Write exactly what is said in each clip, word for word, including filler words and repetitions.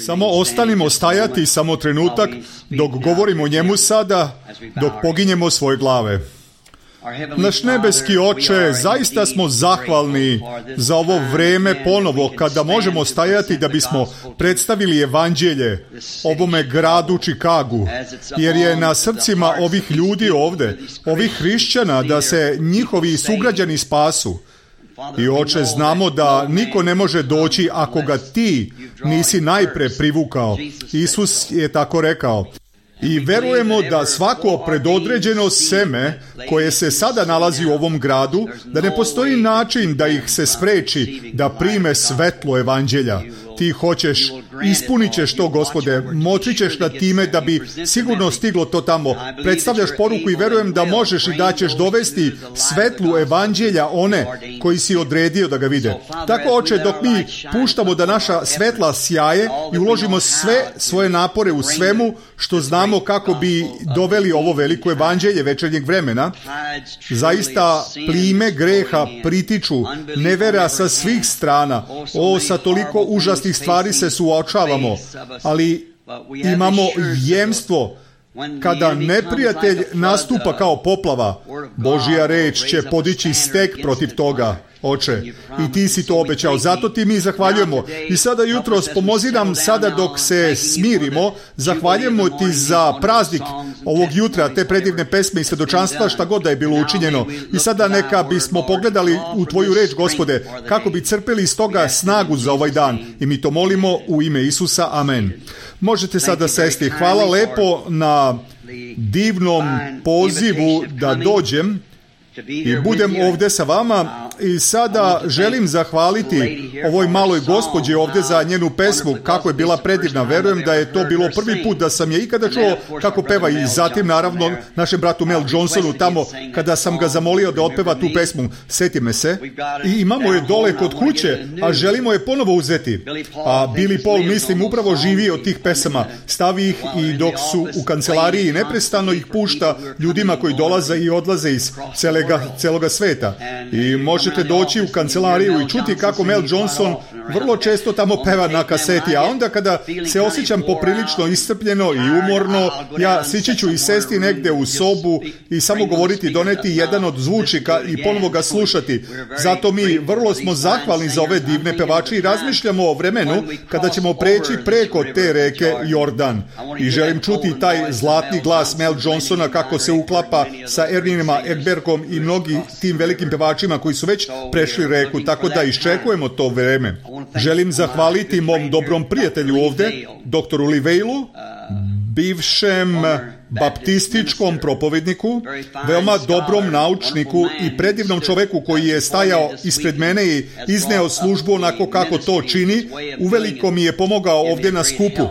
Samo ostanimo stajati samo trenutak dok govorimo o njemu sada, dok poginjemo svoje glave. Naš nebeski Oče, zaista smo zahvalni za ovo vreme ponovo kada možemo stajati da bismo predstavili evanđelje ovome gradu Čikagu, jer je na srcima ovih ljudi ovde, ovih hrišćana, da se njihovi sugrađani spasu. I Oče, znamo da niko ne može doći ako ga ti nisi najpre privukao. Isus je tako rekao. I verujemo da svako predodređeno seme koje se sada nalazi u ovom gradu, da ne postoji način da ih se spreči da prime svetlo evanđelja. Ti hoćeš, ispunit ćeš to, Gospode, moći ćeš na time da bi sigurno stiglo to tamo. Predstavljaš poruku i verujem da možeš i da ćeš dovesti svetlu evanđelja one koji si odredio da ga vide. Tako, Oče, dok mi puštamo da naša svetla sjaje i uložimo sve svoje napore u svemu što znamo kako bi doveli ovo veliko evanđelje večernjeg vremena, zaista plime greha pritiču nevera sa svih strana. O, sa toliko užasnih stvari se suočavamo, ali imamo jemstvo. Kada neprijatelj nastupa kao poplava, Božja reč će podići stek protiv toga, Oče. I ti si to obećao. Zato ti mi zahvaljujemo. I sada jutros pomozi nam sada dok se smirimo. Zahvaljujemo ti za praznik ovog jutra, te predivne pesme i svedočanstva, šta god da je bilo učinjeno. I sada neka bismo pogledali u tvoju reč, Gospode, kako bi crpeli iz toga snagu za ovaj dan. I mi to molimo u ime Isusa. Amen. Možete sada sesti. Hvala lepo na divnom pozivu da dođem i budem ovdje sa vama. I sada želim zahvaliti ovoj maloj gospođi ovdje za njenu pesmu, kako je bila predivna. Verujem da je to bilo prvi put da sam je ikada čuo kako peva, i zatim naravno našem bratu Mel Johnsonu tamo kada sam ga zamolio da otpeva tu pesmu. Seti me se. I imamo je dole kod kuće, a želimo je ponovo uzeti. A Billy Paul, mislim, upravo živi od tih pesama. Stavi ih i dok su u kancelariji neprestano ih pušta ljudima koji dolaze i odlaze iz celega, celoga sveta. I možete doći u kancelariju i čuti kako Mel Johnson vrlo često tamo peva na kaseti, a onda kada se osjećam poprilično iscrpljeno i umorno, ja sići ću i sesti negde u sobu i samo govoriti, doneti jedan od zvučnika i ponovo ga slušati. Zato mi vrlo smo zahvalni za ove divne pevače i razmišljamo o vremenu kada ćemo preći preko te reke Jordan. I želim čuti taj zlatni glas Mel Johnsona kako se uklapa sa Erninima Ekbergom i mnogi tim velikim pevačima koji su već prešli reku, tako da iščekujemo to vreme. Želim zahvaliti mom dobrom prijatelju ovde, doktoru Livejlu, bivšem baptističkom propovedniku, veoma dobrom naučniku i predivnom čoveku koji je stajao ispred mene i izneo službu onako kako to čini. Uveliko mi je pomogao ovde na skupu.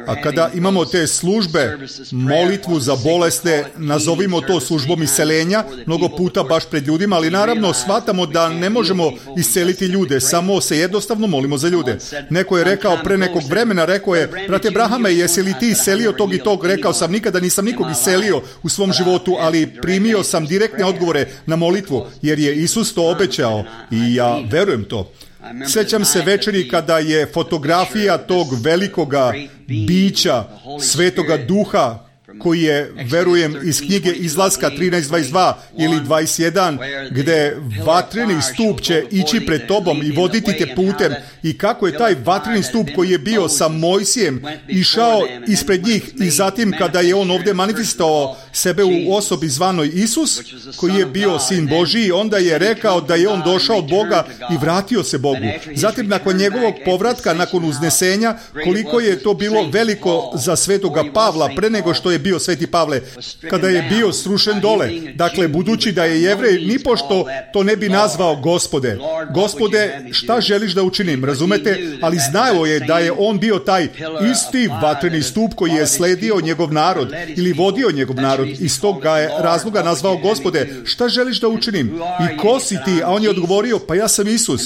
A kada imamo te službe, molitvu za bolesne, nazovimo to službom isceljenja, mnogo puta baš pred ljudima, ali naravno shvatamo da ne možemo isceliti ljude, samo se jednostavno molimo za ljude. Neko je rekao pre nekog vremena, rekao je, brate Brahame, jesi li ti iscelio tog i tog? Rekao sam, nikada nisam nikog iscelio u svom životu, ali primio sam direktne odgovore na molitvu, jer je Isus to obećao i ja verujem to. Sjećam se večeri kada je fotografija tog velikoga bića, Svetoga Duha, koji je, verujem, iz knjige Izlaska trinaest dvadeset dva ili dvadeset jedan, gde vatreni stup će ići pred tobom i voditi te putem, i kako je taj vatreni stup koji je bio sa Mojsijem išao ispred njih, i zatim kada je on ovdje manifestovao sebe u osobi zvanoj Isus, koji je bio Sin Božiji, onda je rekao da je on došao od Boga i vratio se Bogu. Zatim, nakon njegovog povratka, nakon uznesenja, koliko je to bilo veliko za Svetoga Pavla, pre nego što je bio Sveti Pavle, kada je bio srušen dole. Dakle, budući da je Jevrej, nipošto to ne bi nazvao Gospode. Gospode, šta želiš da učinim? Razumete? Ali znao je da je on bio taj isti vatreni stup koji je sledio njegov narod ili vodio njegov narod. Iz tog ga je razloga nazvao Gospode. Šta želiš da učinim? I ko si ti? A on je odgovorio, pa ja sam Isus.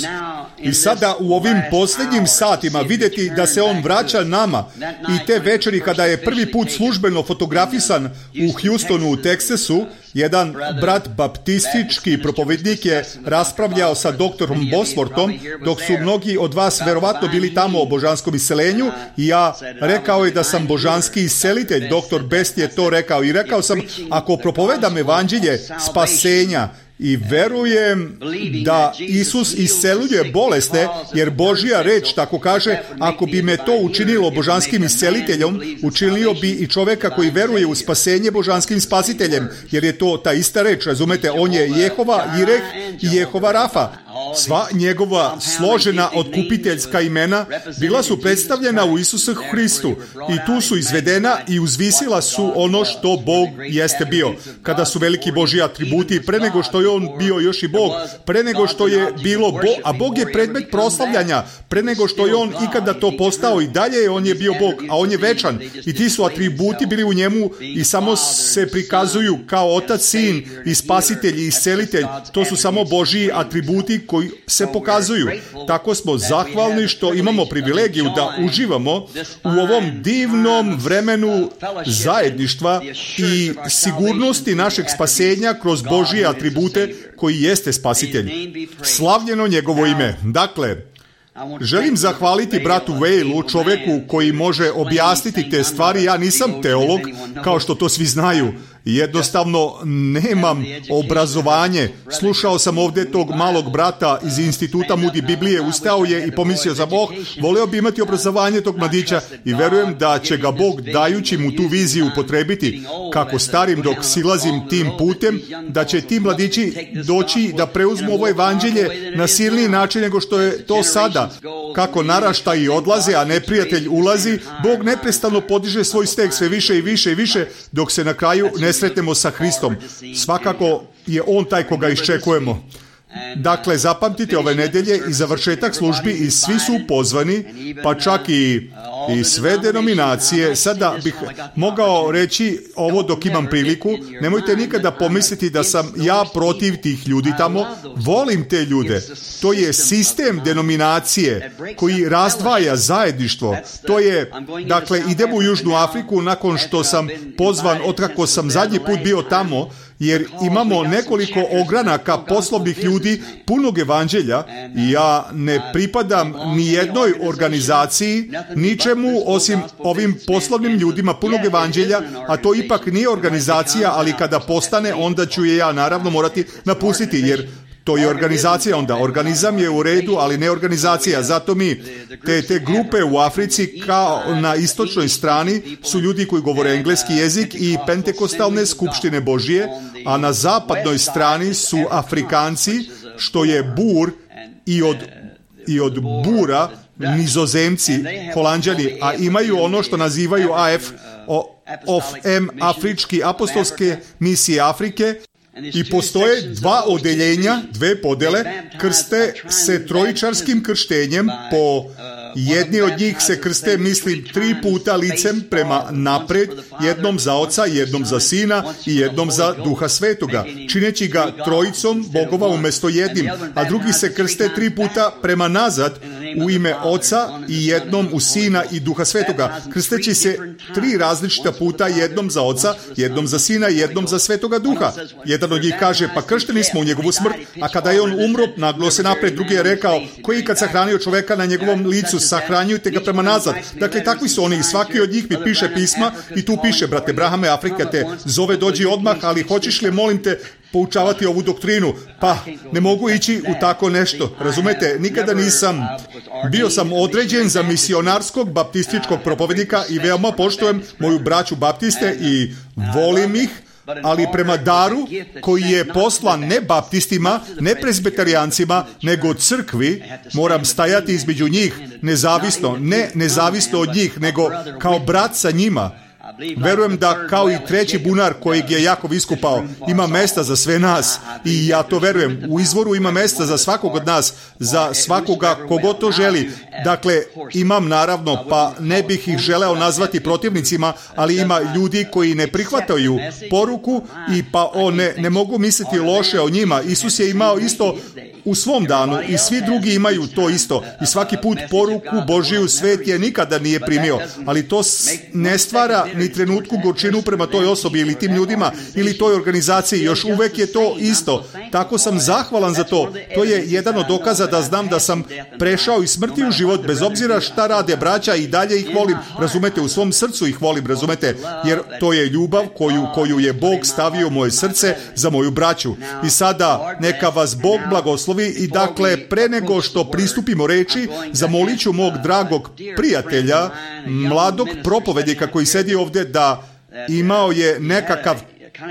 I sada u ovim posljednjim satima vidjeti da se on vraća nama i te večeri kada je prvi put službeno fotografisan u Houstonu u Teksasu, jedan brat baptistički propovednik je raspravljao sa doktorom Bosworthom, dok su mnogi od vas verovatno bili tamo o božanskom iscelenju, i ja rekao je da sam božanski iscelitelj. Doktor Best je to rekao i rekao sam, ako propovedam evanđelje spasenja i verujem da Isus isceljuje bolesne, jer Božja reč tako kaže, ako bi me to učinilo božanskim isceliteljem, učinio bi i čovjeka koji veruje u spasenje božanskim spasiteljem, jer je to ta ista reč, razumete, on je Jehova Jireh i Jehova Rafa. Sva njegova složena otkupiteljska imena bila su predstavljena u Isusu Hristu i tu su izvedena i uzvisila su ono što Bog jeste bio. Kada su veliki Božji atributi, pre nego što je on bio još i Bog, pre nego što je bilo Bog, a Bog je predmet proslavljanja, pre nego što je on ikada to postao i dalje, on je bio Bog, a on je večan i ti su atributi bili u njemu i samo se prikazuju kao Otac, Sin i Spasitelj i Iscelitelj. To su samo Božji atributi koji se pokazuju. Tako smo zahvalni što imamo privilegiju da uživamo u ovom divnom vremenu zajedništva i sigurnosti našeg spasenja kroz Božje atribute koji jeste Spasitelj. Slavljeno njegovo ime. Dakle, želim zahvaliti bratu Vejlu, čovjeku koji može objasniti te stvari. Ja nisam teolog, kao što to svi znaju. Jednostavno nemam obrazovanje. Slušao sam ovdje tog malog brata iz instituta Moody Biblije, ustao je i pomislio sam, oh, voleo bi imati obrazovanje tog mladića i verujem da će ga Bog, dajući mu tu viziju, upotrebiti kako starim dok silazim tim putem, da će ti mladići doći da preuzmu ovo evanđelje na silniji način nego što je to sada. Kako naraštaji odlaze, a neprijatelj ulazi, Bog neprestano podiže svoj steg sve više i više i više, dok se na kraju ne sretnemo sa Hristom. Svakako je on taj koga iščekujemo. Dakle, zapamtite ove nedelje i završetak službi i svi su pozvani, pa čak i, i sve denominacije. Sada bih mogao reći ovo dok imam priliku. Nemojte nikada pomisliti da sam ja protiv tih ljudi tamo. Volim te ljude. To je sistem denominacije koji razdvaja zajedništvo. To je, dakle, idemo u Južnu Afriku nakon što sam pozvan, otkako sam zadnji put bio tamo, jer imamo nekoliko ogranaka poslovnih ljudi punog evanđelja i ja ne pripadam ni jednoj organizaciji, ničemu osim ovim poslovnim ljudima punog evanđelja, a to ipak nije organizacija, ali kada postane, onda ću je ja naravno morati napustiti, jer to je organizacija onda. Organizam je u redu, ali ne organizacija. Zato mi, te, te grupe u Africi kao na istočnoj strani su ljudi koji govore engleski jezik i pentekostalne skupštine Božije, a na zapadnoj strani su Afrikanci, što je Bur, i od, i od Bura Nizozemci, Holanđani, a imaju ono što nazivaju A F, of M, Afrički apostolske misije Afrike. I postoje dva odeljenja, dve podele, krste se trojičarskim krštenjem, po jedni od njih se krste, mislim, tri puta licem prema napred, jednom za Oca, jednom za Sina i jednom za Duha Svetoga, čineći ga trojicom Bogova umjesto jednim, a drugi se krste tri puta prema nazad u ime Oca i jednom u Sina i Duha Svetoga, krsteći se tri različita puta, jednom za Oca, jednom za Sina i jednom za Svetoga Duha. Jedan od njih kaže, pa kršteni smo u njegovu smrt, a kada je on umro, naglo se napred. Drugi je rekao, koji kad sahranio čoveka na njegovom licu, sahranjujte ga prema nazad. Dakle, takvi su oni i svaki od njih mi piše pisma i tu piše, brate Brahame, Afrika te zove, dođi odmah, ali hoćeš li, molim te, poučavati ovu doktrinu? Pa, ne mogu ići u tako nešto. Razumete, nikada nisam. Bio sam određen za misionarskog baptističkog propovednika i veoma poštujem moju braću baptiste i volim ih, ali prema daru koji je poslan ne baptistima, ne prezbeterijancima, nego crkvi, moram stajati između njih, nezavisno, ne nezavisno od njih, nego kao brat sa njima. Verujem da kao i treći bunar kojeg je Jakov iskopao, ima mesta za sve nas i ja to verujem. U izvoru ima mesta za svakog od nas, za svakoga kogo to želi. Dakle, imam naravno, pa ne bih ih želeo nazvati protivnicima, ali ima ljudi koji ne prihvataju poruku i pa o, ne, ne mogu misliti loše o njima. Isus je imao isto u svom danu i svi drugi imaju to isto. I svaki put poruku Božiju svet je nikada nije primio, ali to ne stvara ni trenutku gorčinu prema toj osobi ili tim ljudima ili toj organizaciji. Još uvek je to isto. Tako sam zahvalan za to. To je jedan od dokaza da znam da sam prešao iz smrti u život, bez obzira šta rade braća, i dalje ih volim, razumete, u svom srcu ih volim, razumete, jer to je ljubav koju, koju je Bog stavio u moje srce za moju braću. I sada neka vas Bog blagoslovi i dakle, pre nego što pristupimo reči, zamolit ću mog dragog prijatelja, mladog propovednika koji sedi ovdje, da imao je nekakav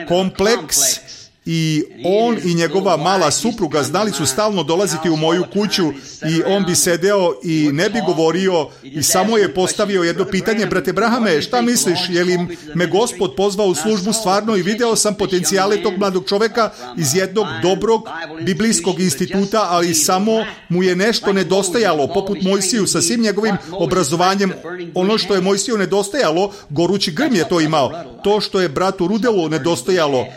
kompleks i on i njegova mala supruga znali su stalno dolaziti u moju kuću i on bi sedeo i ne bi govorio i samo je postavio jedno pitanje: brate Brahame, šta misliš, je li me Gospod pozvao u službu stvarno? I video sam potencijale tog mladog čoveka iz jednog dobrog biblijskog instituta, ali samo mu je nešto nedostajalo, poput Mojsiju sa svim njegovim obrazovanjem. Ono što je Mojsiju nedostajalo, gorući grm je to imao. To što je bratu Rudelu nedostajalo,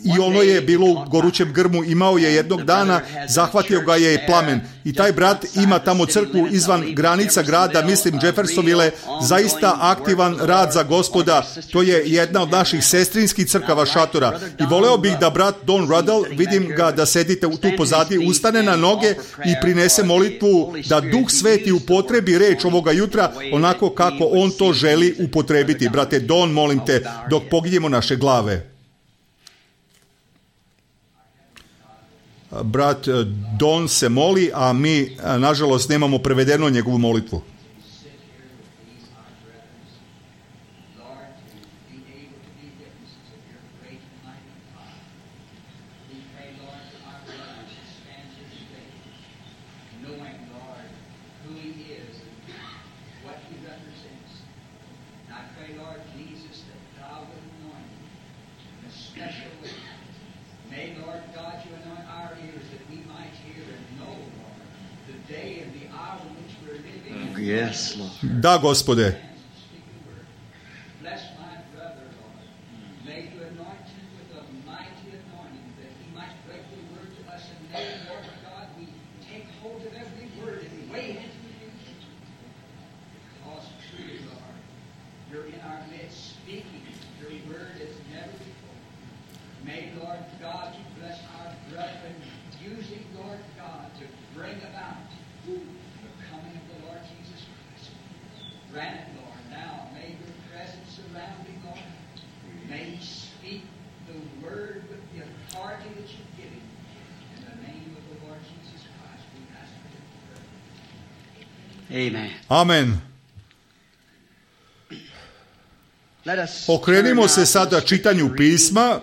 i ono je bilo u gorućem grmu, imao je jednog dana, zahvatio ga je plamen. I taj brat ima tamo crkvu izvan granica grada, mislim Jeffersonville, zaista aktivan rad za Gospoda. To je jedna od naših sestrinskih crkava šatora. I voleo bih da brat Don Ruddell, vidim ga da sedite tu pozadi, ustane na noge i prinese molitvu da Duh Sveti upotrebi reč ovoga jutra onako kako on to želi upotrebiti. Brate Don, molim te, dok poginjemo naše glave. Brat Don se moli, a mi, nažalost, nemamo prevedeno njegovu molitvu. Da, Gospode. Amen. Okrenimo se sada čitanju pisma,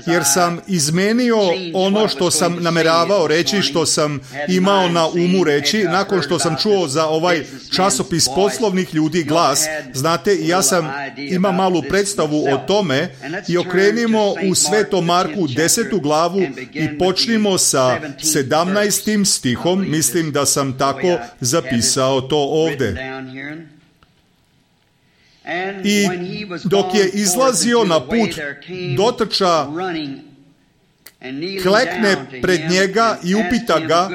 jer sam izmenio ono što sam nameravao reći, što sam imao na umu reći, nakon što sam čuo za ovaj časopis poslovnih ljudi Glas. Znate, ja sam imam malu predstavu o tome i okrenimo u Svetom Marku desetu glavu i počnimo sa sedamnaestim stihom. Mislim da sam tako zapisao to ovde. I dok je izlazio na put, dotrča, klekne pred njega i upita ga: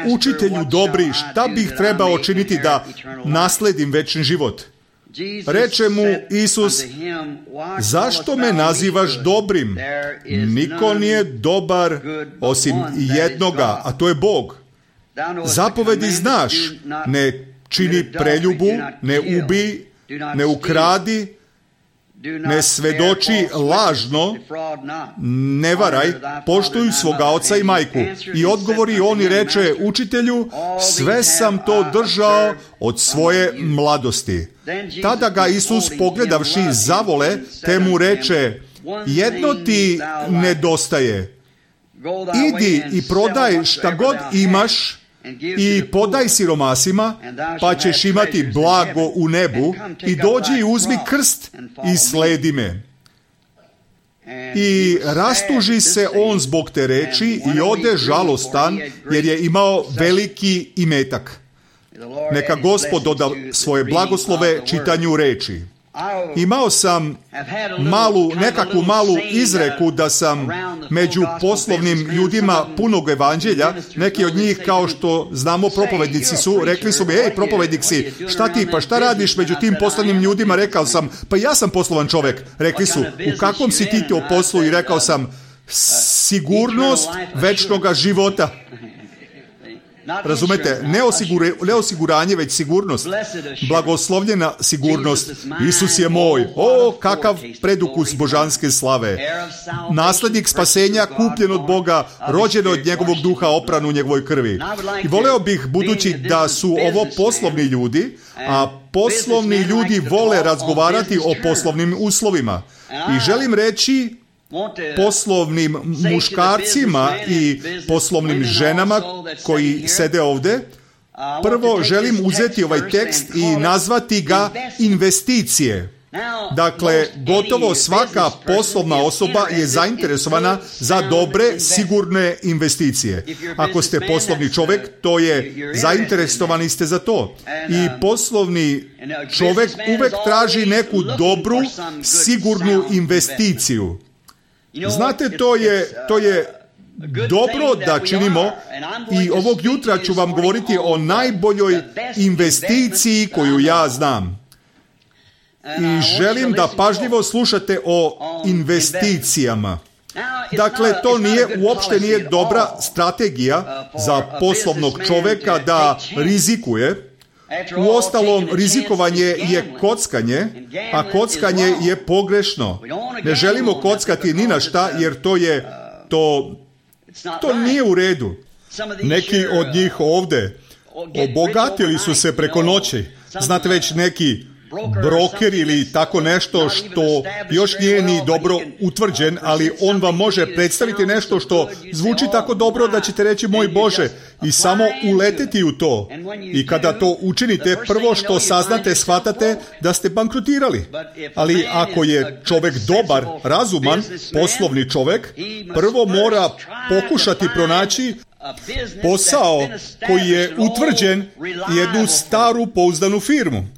učitelju dobri, šta bih trebao činiti da nasledim večni život? Reče mu Isus: zašto me nazivaš dobrim? Niko nije dobar osim jednoga, a to je Bog. Zapovedi znaš: ne čini preljubu, ne ubij, ne ukradi, ne svedoči lažno, ne varaj, poštuj svoga oca i majku. I odgovori on i reče: učitelju, sve sam to držao od svoje mladosti. Tada ga Isus, pogledavši, zavole, te mu reče: jedno ti nedostaje. Idi i prodaj šta god imaš i podaj siromasima, pa ćeš imati blago u nebu, i dođi i uzmi krst i sledi me. I rastuži se on zbog te reči i ode žalostan, jer je imao veliki imetak. Neka Gospod doda svoje blagoslove čitanju reči. Imao sam malu, nekakvu malu izreku da sam među poslovnim ljudima punog evanđelja, neki od njih, kao što znamo, propovednici su, rekli su mi, ej, propovednik si, šta ti, pa šta radiš među tim poslovnim ljudima? Rekao sam, pa ja sam poslovan čovjek. Rekli su, u kakvom si ti to poslu? I rekao sam, sigurnost večnoga života. Razumete, ne, osigure, ne osiguranje, već sigurnost. Blagoslovljena sigurnost. Isus je moj. O, kakav predukus božanske slave. Naslednik spasenja, kupljen od Boga, rođen od njegovog duha, opran u njegovoj krvi. I voleo bih, budući da su ovo poslovni ljudi, a poslovni ljudi vole razgovarati o poslovnim uslovima. I želim reći poslovnim muškarcima i poslovnim ženama koji sede ovdje, prvo želim uzeti ovaj tekst i nazvati ga investicije. Dakle, gotovo svaka poslovna osoba je zainteresovana za dobre, sigurne investicije. Ako ste poslovni čovjek, to je, zainteresovani ste za to. I poslovni čovjek uvek traži neku dobru, sigurnu investiciju. Znate, to je, to je dobro da činimo, i ovog jutra ću vam govoriti o najboljoj investiciji koju ja znam. I želim da pažljivo slušate o investicijama. Dakle, to nije, uopšte nije dobra strategija za poslovnog čovjeka da rizikuje. Uostalom, rizikovanje je kockanje, a kockanje je pogrešno. Ne želimo kockati ni na šta, jer to je, to, to nije u redu. Neki od njih ovdje obogatili su se preko noći. Znate, već neki broker ili tako nešto što još nije ni dobro utvrđen, ali on vam može predstaviti nešto što zvuči tako dobro da ćete reći, moj Bože, i samo uleteti u to. I kada to učinite, prvo što saznate, shvatate da ste bankrotirali. Ali ako je čovjek dobar, razuman, poslovni čovjek, prvo mora pokušati pronaći posao koji je utvrđen, jednu staru pouzdanu firmu.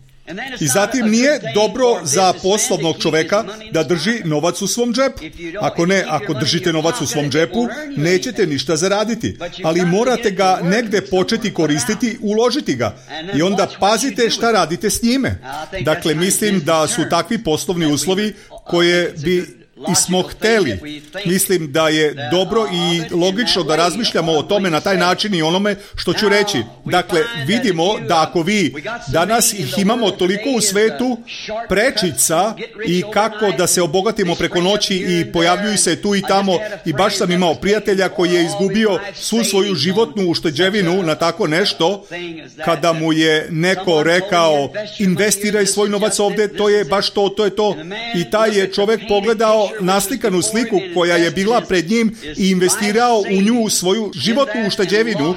I zatim nije dobro za poslovnog čovjeka da drži novac u svom džepu. Ako ne, ako držite novac u svom džepu, nećete ništa zaraditi. Ali morate ga negdje početi koristiti, uložiti ga. I onda pazite šta radite s njime. Dakle, mislim da su takvi poslovni uslovi koje bi i smo hteli. Mislim da je dobro i logično da razmišljamo o tome na taj način i onome što ću reći. Dakle, vidimo da ako vi danas ih imamo toliko u svetu prečica i kako da se obogatimo preko noći i pojavljuju se tu i tamo, i baš sam imao prijatelja koji je izgubio svu svoju životnu ušteđevinu na tako nešto, kada mu je neko rekao investiraj svoj novac ovdje, to je baš to, to je to, i taj je čovjek pogledao naslikanu sliku koja je bila pred njim i investirao u nju svoju životnu ušteđevinu.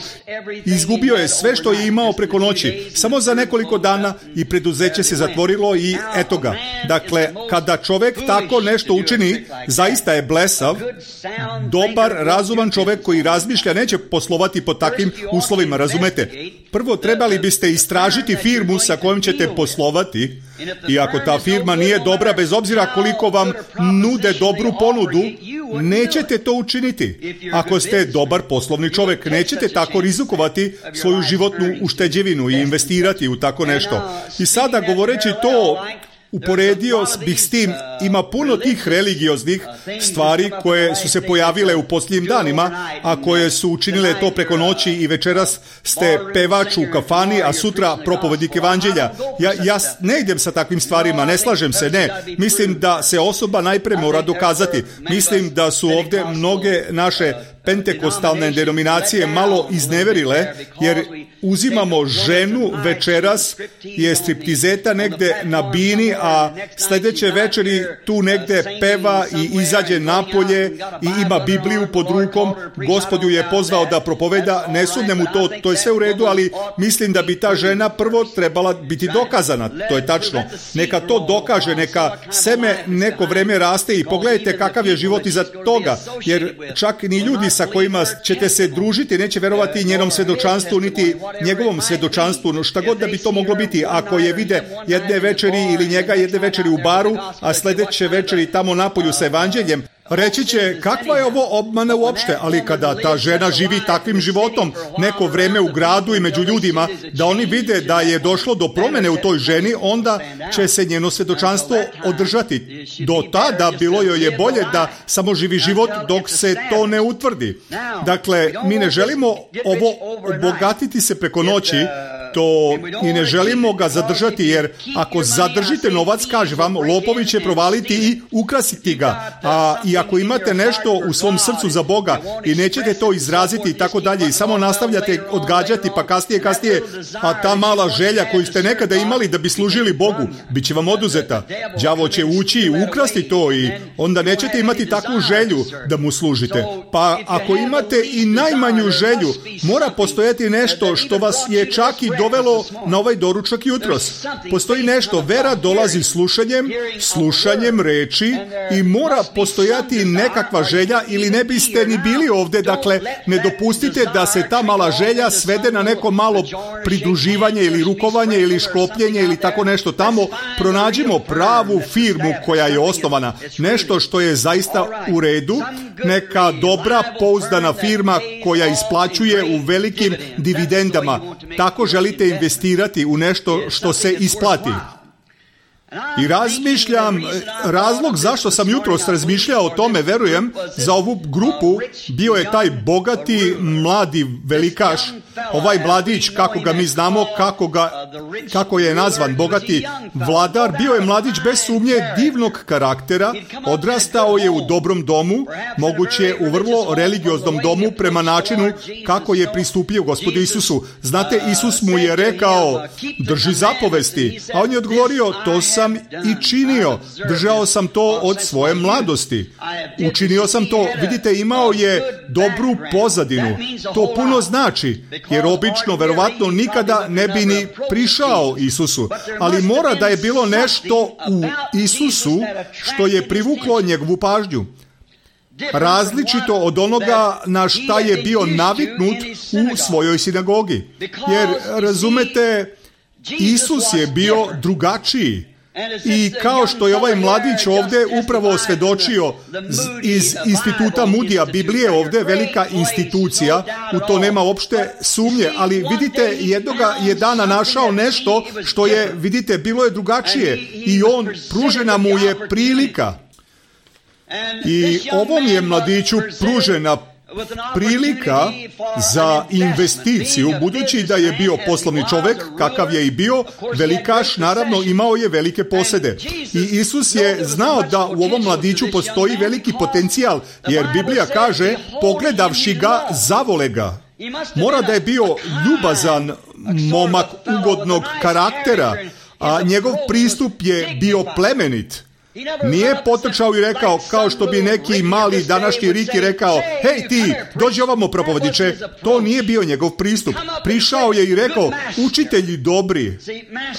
Izgubio je sve što je imao preko noći, samo za nekoliko dana, i preduzeće se zatvorilo i eto ga. Dakle, kada čovjek tako nešto učini, zaista je blesav. Dobar, razuman čovjek koji razmišlja neće poslovati pod takvim uslovima, razumete? Prvo, trebali biste istražiti firmu sa kojom ćete poslovati, i ako ta firma nije dobra, bez obzira koliko vam nude dobru ponudu, nećete to učiniti. Ako ste dobar poslovni čovjek, nećete tako rizikovati svoju životnu ušteđevinu i investirati u tako nešto. I sada, govoreći to, uporedio bih s tim, ima puno tih religioznih stvari koje su se pojavile u posljednjim danima, a koje su učinile to preko noći, i večeras ste pevač u kafani, a sutra propovednik evanđelja. Ja, ja ne idem sa takvim stvarima, ne slažem se, ne. Mislim da se osoba najprije mora dokazati. Mislim da su ovdje mnoge naše pentekostalne denominacije malo izneverile, jer uzimamo ženu večeras, je striptizeta negde na bini, a sljedeće večeri tu negde peva i izađe napolje i ima Bibliju pod rukom. Gospod ju je pozvao da propoveda, ne sumnjam mu to, to je sve u redu, ali mislim da bi ta žena prvo trebala biti dokazana. To je tačno. Neka to dokaže, neka seme neko vreme raste i pogledajte kakav je život iza toga, jer čak ni ljudi sa kojima ćete se družiti neće verovati njenom svedočanstvu, niti njegovom svedočanstvu, no šta god da bi to moglo biti, ako je vide jedne večeri ili njega jedne večeri u baru, a sljedeće večeri tamo napolju sa evanđeljem, reći će kakva je ovo obmana uopšte, ali kada ta žena živi takvim životom neko vreme u gradu i među ljudima, da oni vide da je došlo do promjene u toj ženi, onda će se njeno svjedočanstvo održati. Do tada bilo joj je bolje da samo živi život dok se to ne utvrdi. Dakle, mi ne želimo ovo obogatiti se preko noći, to i ne želimo ga zadržati, jer ako zadržite novac, kaže vam, lopovi će provaliti i ukrasiti ga. A i ako imate nešto u svom srcu za Boga i nećete to izraziti i tako dalje i samo nastavljate odgađati, pa kasnije, kasnije, a ta mala želja koju ste nekada imali da bi služili Bogu, bit će vam oduzeta. Đavo će ući i ukrasti to i onda nećete imati takvu želju da mu služite. Pa ako imate i najmanju želju, mora postojati nešto što vas je čak i dovelo na ovaj doručak jutros. Postoji nešto, vera dolazi slušanjem, slušanjem reči i mora postojati nekakva želja ili ne biste ni bili ovdje. Dakle, ne dopustite da se ta mala želja svede na neko malo pridruživanje ili rukovanje ili šklopljenje ili tako nešto tamo. Pronađimo pravu firmu koja je osnovana, nešto što je zaista u redu, neka dobra pouzdana firma koja isplaćuje u velikim dividendama. Tako želite investirati u nešto što se isplati. I razmišljam, razlog zašto sam jutros razmišljao o tome, verujem, za ovu grupu bio je taj bogati mladi velikaš, ovaj mladić, kako ga mi znamo, kako, ga, kako je nazvan, bogati vladar, bio je mladić bez sumnje divnog karaktera, odrastao je u dobrom domu, moguće u vrlo religioznom domu prema načinu kako je pristupio Gospodu Isusu. Znate, Isus mu je rekao, drži zapovesti, a on je odgovorio, to sam i činio, držao sam to od svoje mladosti, učinio sam to. Vidite, imao je dobru pozadinu, to puno znači, jer obično, verovatno, nikada ne bi ni prišao Isusu, ali mora da je bilo nešto u Isusu što je privuklo njegovu pažnju. Različito od onoga na šta je bio naviknut u svojoj sinagogi. Jer, razumete, Isus je bio drugačiji. I kao što je ovaj mladić ovdje upravo svjedočio iz instituta Mudija, Biblije ovdje, velika institucija, u to nema uopšte sumnje, ali vidite, jednoga je dana našao nešto što je, vidite, bilo je drugačije i on, pružena mu je prilika. I ovom je mladiću pružena prilika za investiciju, budući da je bio poslovni čovjek, kakav je i bio, velikaš, naravno imao je velike posede. I Isus je znao da u ovom mladiću postoji veliki potencijal, jer Biblija kaže, pogledavši ga, zavole ga. Mora da je bio ljubazan momak ugodnog karaktera, a njegov pristup je bio plemenit. Nije potrčao i rekao, kao što bi neki mali današnji Riki rekao, hej ti, dođi ovamo propovediče. To nije bio njegov pristup. Prišao je i rekao, učitelji dobri,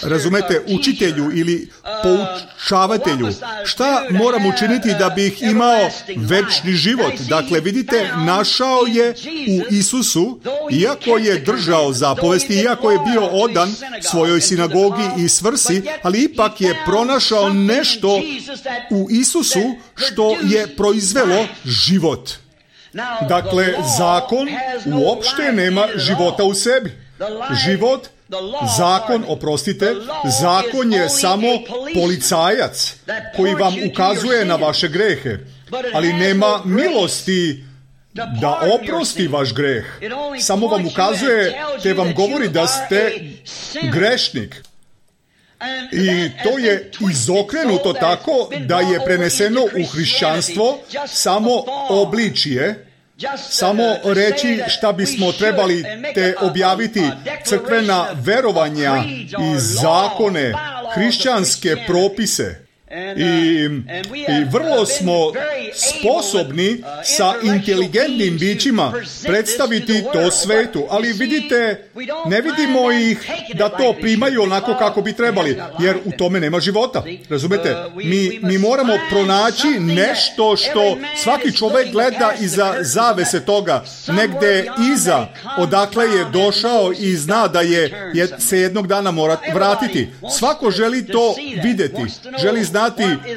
razumete, učitelju ili poučavatelju, šta moram učiniti da bih imao večni život? Dakle, vidite, našao je u Isusu, iako je držao zapovesti, iako je bio odan svojoj sinagogi i svrsi, ali ipak je pronašao nešto u Isusu što je proizvelo život. Dakle, zakon uopšte nema života u sebi. Život, zakon, oprostite, zakon je samo policajac koji vam ukazuje na vaše grehe, ali nema milosti da oprosti vaš greh. Samo vam ukazuje te vam govori da ste grešnik. I to je izokrenuto tako da je preneseno u hrišćanstvo samo obličje, samo reći šta bismo trebali te objaviti, crkvena verovanja i zakone, hrišćanske propise. I, I vrlo smo sposobni sa inteligentnim bićima predstaviti to svetu, ali vidite, ne vidimo ih da to primaju onako kako bi trebali, jer u tome nema života. Razumete? Mi, mi moramo pronaći nešto što svaki čovjek gleda iza zavese toga, negde iza, odakle je došao i zna da je, je se jednog dana mora vratiti. Svako želi to vidjeti, želi znati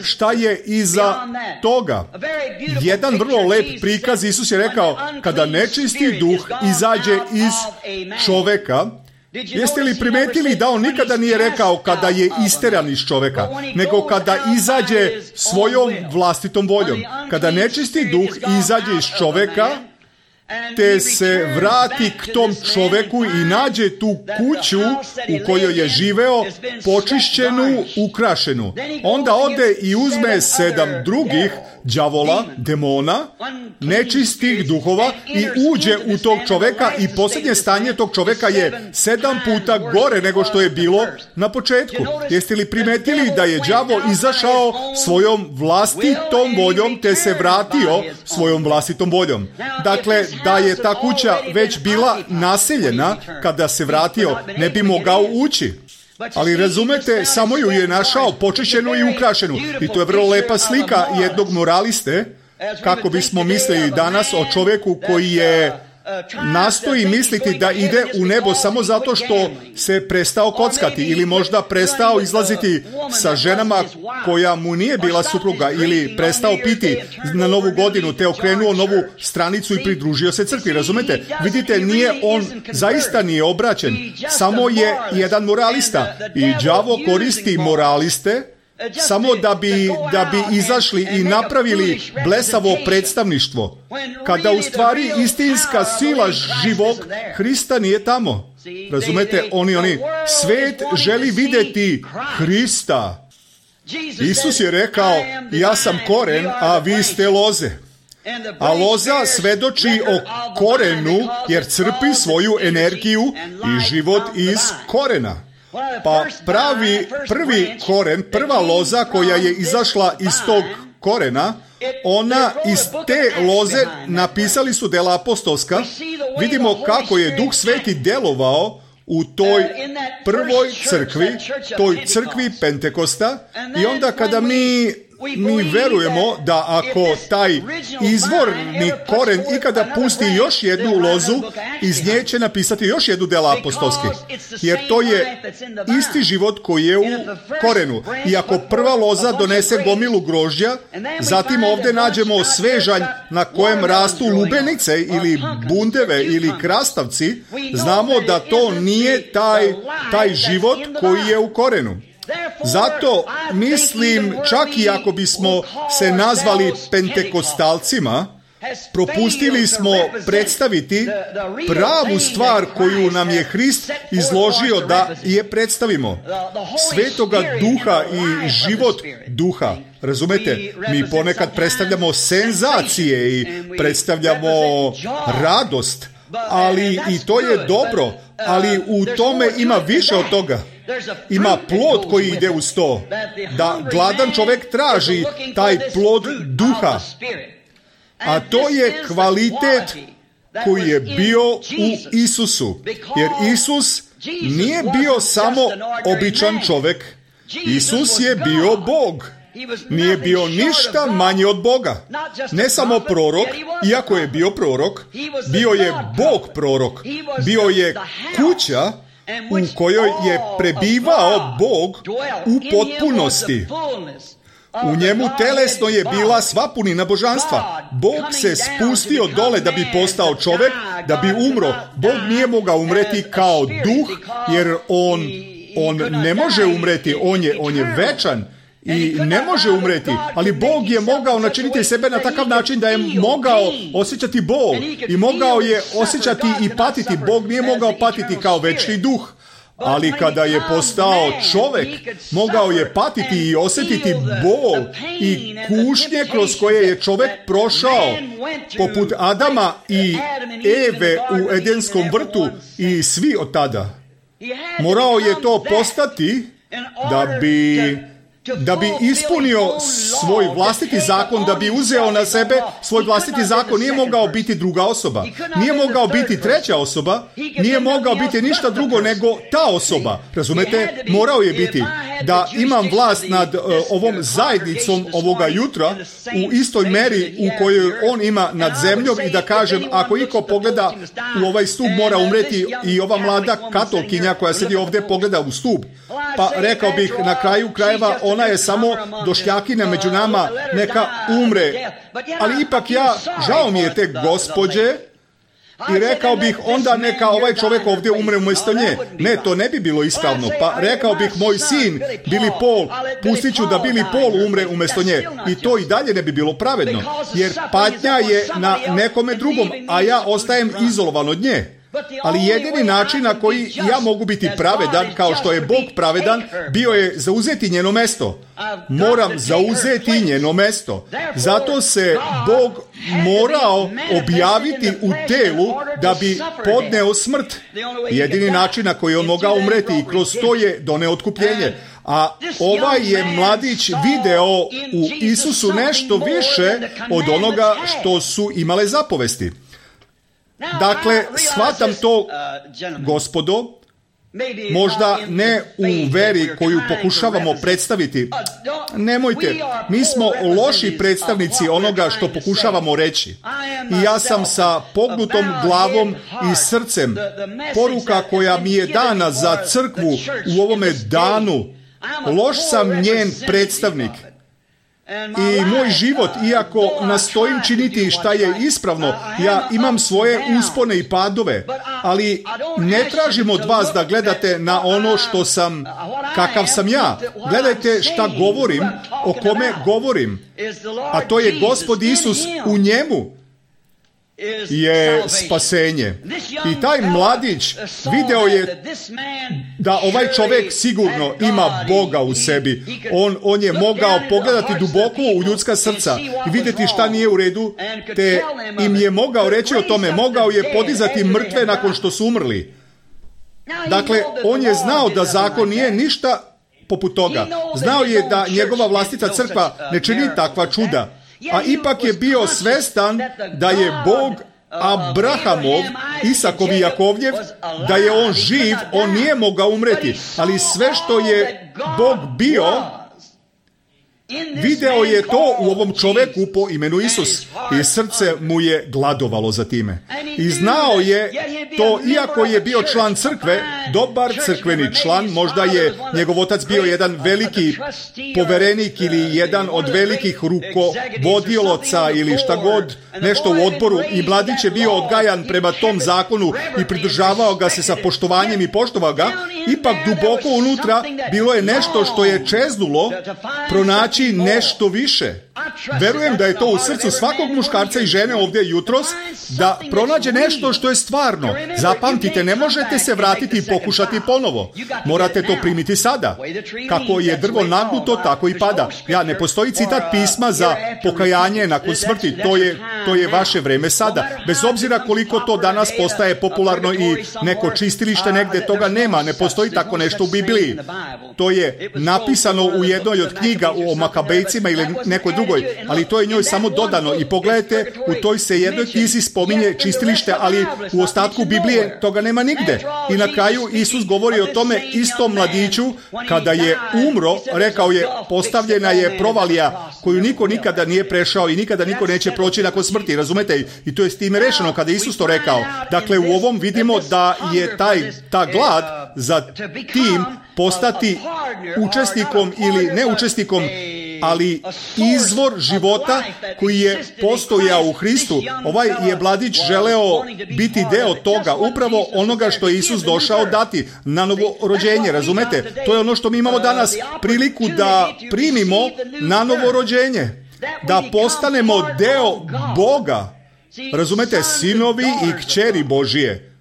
šta je iza toga. Jedan vrlo lep prikaz, Isus je rekao, kada nečisti duh izađe iz čoveka, jeste li primetili da on nikada nije rekao kada je isteran iz čoveka, nego kada izađe svojom vlastitom voljom. Kada nečisti duh izađe iz čoveka, te se vrati k tom čoveku i nađe tu kuću u kojoj je živeo, počišćenu, ukrašenu. Onda ode i uzme sedam drugih đavola, demona, nečistih duhova i uđe u tog čoveka i posljednje stanje tog čoveka je sedam puta gore nego što je bilo na početku. Jeste li primetili da je đavo izašao svojom vlastitom voljom te se vratio svojom vlastitom voljom? Dakle, da je ta kuća već bila naseljena, kada se vratio ne bi mogao ući. Ali razumete, samo ju je našao počišćenu i ukrašenu. I to je vrlo lepa slika jednog moraliste, kako bismo mislili danas o čovjeku koji je nastoji misliti da ide u nebo samo zato što se prestao kockati ili možda prestao izlaziti sa ženama koja mu nije bila supruga ili prestao piti na novu godinu te okrenuo novu stranicu i pridružio se crkvi. Razumete? Vidite, nije on, zaista nije obraćen, samo je jedan moralista i đavo koristi moraliste samo da bi, da bi izašli i napravili blesavo predstavništvo, kada u stvari istinska sila živog Hrista nije tamo. Razumete, oni, oni, svet želi vidjeti Hrista. Isus je rekao, ja sam koren, a vi ste loze. A loza svedoči o korenu, jer crpi svoju energiju i život iz korena. Pa pravi prvi koren, prva loza koja je izašla iz tog korena, ona iz te loze napisali su dela apostolska. Vidimo kako je Duh Sveti delovao u toj prvoj crkvi, toj crkvi Pentekosta. I onda kada mi mi verujemo da ako taj izvorni koren ikada pusti još jednu lozu, iz nje će napisati još jednu dela apostolski. Jer to je isti život koji je u korenu. I ako prva loza donese gomilu grožđa, zatim ovdje nađemo svežanj na kojem rastu lubenice ili bundeve ili krastavci, znamo da to nije taj, taj život koji je u korenu. Zato mislim, čak i ako bismo se nazvali pentekostalcima, propustili smo predstaviti pravu stvar koju nam je Hrist izložio da je predstavimo. Svetoga duha i život duha. Razumete? Mi ponekad predstavljamo senzacije i predstavljamo radost, ali i to je dobro, ali u tome ima više od toga. Ima plod koji ide uz to. Da gladan čovjek traži taj plod duha. A to je kvalitet koji je bio u Isusu. Jer Isus nije bio samo običan čovjek. Isus je bio Bog. Nije bio ništa manje od Boga. Ne samo prorok, iako je bio prorok, bio je Bog prorok. Bio je kuća u kojoj je prebivao Bog u potpunosti. U njemu telesno je bila sva punina božanstva. Bog se spustio dole da bi postao čovjek, da bi umro. Bog nije mogao umreti kao duh, jer on, on ne može umreti, on je, on je večan i ne može umreti, ali Bog je mogao načiniti sebe na takav način da je mogao osjećati bol i mogao je osjećati i patiti. Bog nije mogao patiti kao večni duh, Ali kada je postao čovjek, mogao je patiti i osjetiti bol i kušnje kroz koje je čovjek prošao, poput Adama i Eve u Edenskom vrtu i svi od tada. Morao je to postati da bi... da bi ispunio svoj vlastiti zakon, da bi uzeo na sebe svoj vlastiti zakon. Nije mogao biti druga osoba, nije mogao biti treća osoba, nije mogao biti ništa drugo nego ta osoba. Razumete? Morao je biti da imam vlast nad uh, ovom zajednicom ovoga jutra u istoj meri u kojoj on ima nad zemljom i da kažem, ako iko pogleda u ovaj stup mora umreti, i ova mlada katolkinja koja sedi ovdje pogleda u stup. Pa rekao bih na kraju krajeva, ona je samo došljakinja među nama, neka umre. Ali ipak ja, žao mi je te gospođe, i rekao bih onda neka ovaj čovjek ovdje umre umjesto nje. Ne, to ne bi bilo ispravno. Pa rekao bih, moj sin Billy Paul, pustit ću da Billy Paul umre umjesto nje. I to i dalje ne bi bilo pravedno. Jer patnja je na nekome drugom, a ja ostajem izolovan od nje. Ali jedini način na koji ja mogu biti pravedan, kao što je Bog pravedan, bio je zauzeti njeno mesto. Moram zauzeti njeno mesto. Zato se Bog morao objaviti u telu da bi podneo smrt. Jedini način na koji on mogao umreti, i kroz to je doneo otkupljenje. A ovaj je mladić video u Isusu nešto više od onoga što su imale zapovesti. Dakle, shvatam to, gospodo, možda ne u veri koju pokušavamo predstaviti. Nemojte, mi smo loši predstavnici onoga što pokušavamo reći. I ja sam sa pognutom glavom i srcem. Poruka koja mi je dana za crkvu u ovome danu, loš sam njen predstavnik. I moj život, iako nastojim činiti šta je ispravno, ja imam svoje uspone i padove, ali ne tražim od vas da gledate na ono što sam, kakav sam ja. Gledajte šta govorim, o kome govorim, a to je Gospod Isus, u njemu je spasenje. I taj mladić video je da ovaj čovjek sigurno ima Boga u sebi. On, on je mogao pogledati duboko u ljudska srca i vidjeti šta nije u redu, te im je mogao reći o tome, mogao je podizati mrtve nakon što su umrli. Dakle, on je znao da zakon nije ništa poput toga. Znao je da njegova vlastita crkva ne čini takva čuda. A ipak je bio svestan da je Bog Abrahamov, Isakov i Jakovljev, da je on živ, on nije mogao umreti. Ali sve što je Bog bio, video je to u ovom čovjeku po imenu Isus. I srce mu je gladovalo za time. I znao je to, iako je bio član crkve, dobar crkveni član, možda je njegov otac bio jedan veliki poverenik ili jedan od velikih rukovodilaca ili šta god, nešto u odboru, i mladić je bio odgajan prema tom zakonu i pridržavao ga se sa poštovanjem i poštovao ga. Ipak duboko unutra bilo je nešto što je čeznulo pronaći nešto više. Verujem da je to u srcu svakog muškarca i žene ovdje jutros, da pronađe nešto što je stvarno. Zapamtite, ne možete se vratiti i pokušati ponovo. Morate to primiti sada. Kako je drvo nagnuto, tako i pada. Ja, ne postoji citat pisma za pokajanje nakon smrti. To je, to je vaše vreme sada. Bez obzira koliko to danas postaje popularno i neko čistilište negdje, toga nema. Ne postoji tako nešto u Bibliji. To je napisano u jednoj od knjiga o Makabejcima ili nekoj drugoj, ali to je njoj samo dodano. I pogledajte, u toj se jednoj knjizi spominje čistilište, ali u ostatku Biblije toga nema nigde. I na kraju Isus govori o tome istom mladiću, kada je umro, rekao je, postavljena je provalija koju niko nikada nije prešao i nikada niko neće proći nakon smrti, razumete? I to je s time rešeno kada je Isus to rekao. Dakle, u ovom vidimo da je taj, ta glad za tim postati učesnikom ili neučesnikom, ali izvor života koji je postojao u Hristu. Ovaj je mladić želeo biti deo toga, upravo onoga što je Isus došao dati, na novo rođenje, razumete? To je ono što mi imamo danas, priliku da primimo na novo rođenje, da postanemo deo Boga, razumete, sinovi i kćeri Božije.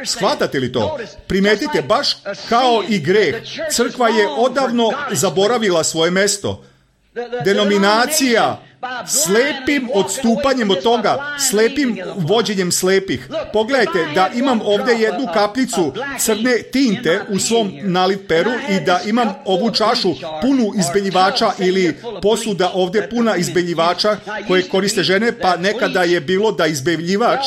Shvatate li to? Primetite, baš kao i greh, crkva je odavno zaboravila svoje mesto. Denominacija, slepim odstupanjem od toga, slepim vođenjem slepih. Pogledajte da imam ovdje jednu kapljicu crne tinte u svom nalitperu i da imam ovu čašu punu izbeljivača ili posuda ovdje puna izbeljivača koje koriste žene, pa nekada je bilo da izbeljivač,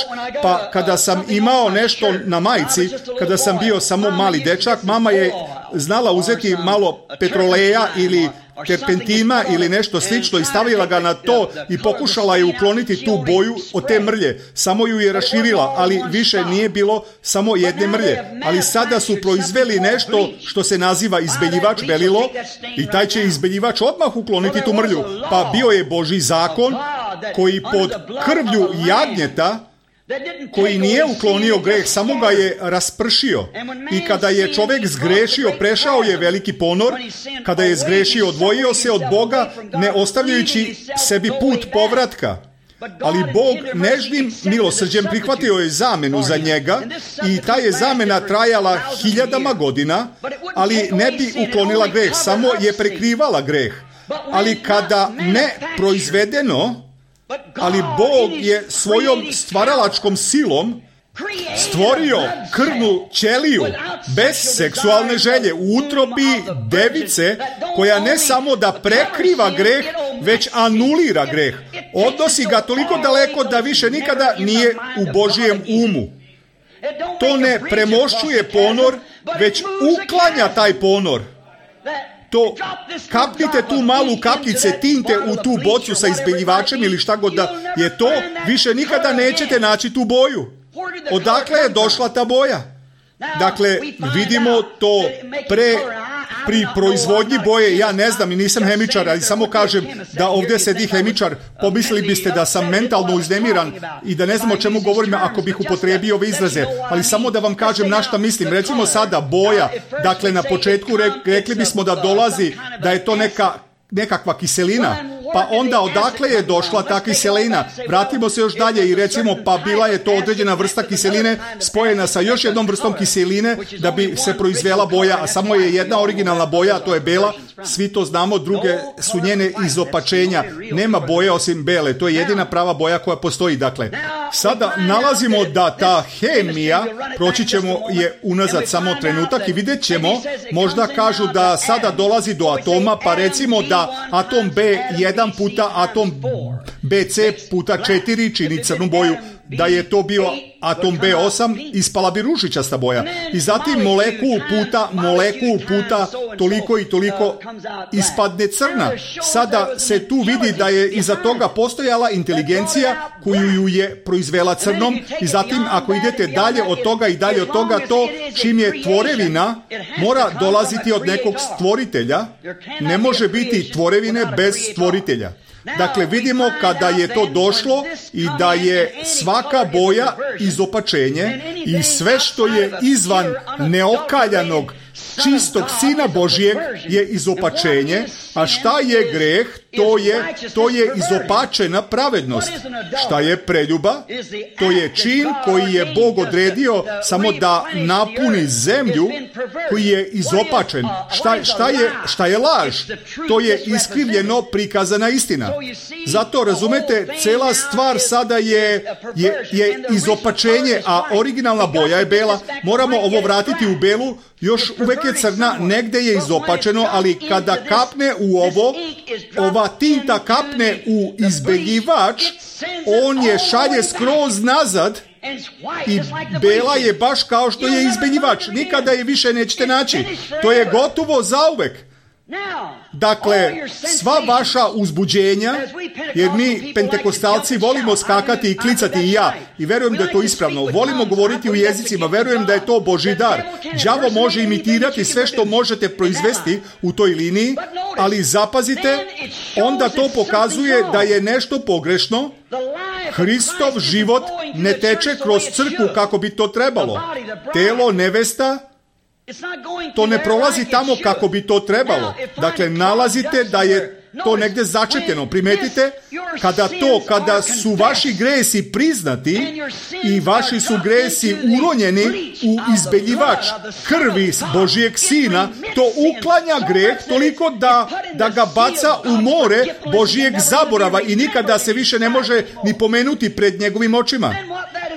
pa kada sam imao nešto na majici, kada sam bio samo mali dečak, mama je znala uzeti malo petroleja ili terpentima ili nešto slično i stavila ga na to i pokušala je ukloniti tu boju od te mrlje. Samo ju je raširila, ali više nije bilo samo jedne mrlje. Ali sada su proizveli nešto što se naziva izbeljivač belilo i taj će izbeljivač odmah ukloniti tu mrlju. Pa bio je Božji zakon koji pod krvlju jagnjeta, koji nije uklonio greh, samo ga je raspršio. I kada je čovjek zgrešio, prešao je veliki ponor. Kada je zgrešio, odvojio se od Boga, ne ostavljajući sebi put povratka. Ali Bog nežnim milosrđem prihvatio je zamenu za njega i ta je zamena trajala hiljadama godina, ali ne bi uklonila greh, samo je prekrivala greh. Ali kada ne proizvedeno, ali Bog je svojom stvaralačkom silom stvorio krvnu ćeliju bez seksualne želje u utrobi device koja ne samo da prekriva greh, već anulira greh. Odnosi ga toliko daleko da više nikada nije u Božijem umu. To ne premošćuje ponor, već uklanja taj ponor. To, kapnite tu malu kapljice tinte u tu bocu sa izbeljivačem ili šta god da je to, više nikada nećete naći tu boju. Odakle je došla ta boja? Dakle, vidimo to pre, pri proizvodnji boje, ja ne znam i nisam hemičar, ali samo kažem da ovdje sedi hemičar, pomislili biste da sam mentalno uznemiran i da ne znam o čemu govorim ako bih upotrijebio ove izraze, ali samo da vam kažem na šta mislim. Recimo sada boja, dakle na početku rekli bismo da dolazi, da je to neka nekakva kiselina, pa onda odakle je došla ta kiselina? Vratimo se još dalje i recimo pa bila je to određena vrsta kiseline spojena sa još jednom vrstom kiseline da bi se proizvela boja, a samo je jedna originalna boja, a to je bela. Svi to znamo, druge su njene izopačenja. Nema boje osim bele, to je jedina prava boja koja postoji. Dakle, sada nalazimo da ta hemija, proći ćemo je unazad samo trenutak i vidjet ćemo, možda kažu da sada dolazi do atoma, pa recimo da atom B jedan puta atom B C puta četiri čini crnu boju. Da je to bio atom B osam, ispala bi ružičasta boja. I zatim molekul puta molekul puta toliko i toliko ispadne crna. Sada se tu vidi da je iza toga postojala inteligencija koju ju je proizvela crnom i zatim ako idete dalje od toga i dalje od toga, to čim je tvorevina mora dolaziti od nekog stvoritelja. Ne može biti tvorevine bez stvoritelja. Dakle, vidimo kada je to došlo i da je svaka boja izopačenje i sve što je izvan neokaljanog čistog Sina Božijeg je izopačenje, a šta je greh? To je, to je izopačena pravednost. Šta je preljuba? To je čin koji je Bog odredio samo da napuni zemlju koji je izopačen. Šta, šta, je, šta je laž? To je iskrivljeno prikazana istina. Zato, razumete, cela stvar sada je, je, je izopačenje, a originalna boja je bela. Moramo ovo vratiti u belu. Još uvek je crna, negde je izopačeno, ali kada kapne u ovo, ova tinta kapne u izbeljivač, on je šalje skroz nazad i bela je baš kao što je izbeljivač. Nikada je više nećete naći. To je gotovo zauvek. Dakle, sva vaša uzbuđenja, jer mi pentekostalci volimo skakati i klicati i ja, i verujem da je to ispravno, volimo govoriti u jezicima, verujem da je to Božji dar. Đavo može imitirati sve što možete proizvesti u toj liniji, ali zapazite, onda to pokazuje da je nešto pogrešno. Hristov život ne teče kroz crkvu kako bi to trebalo. Telo nevesta, to ne prolazi tamo kako bi to trebalo. Dakle, nalazite da je to negdje začetljeno. Primetite, kada to, kada su vaši gresi priznati i vaši su gresi uronjeni u izbeljivač krvi Božijeg Sina, to uklanja greh toliko da, da ga baca u more Božijeg zaborava i nikada se više ne može ni pomenuti pred njegovim očima.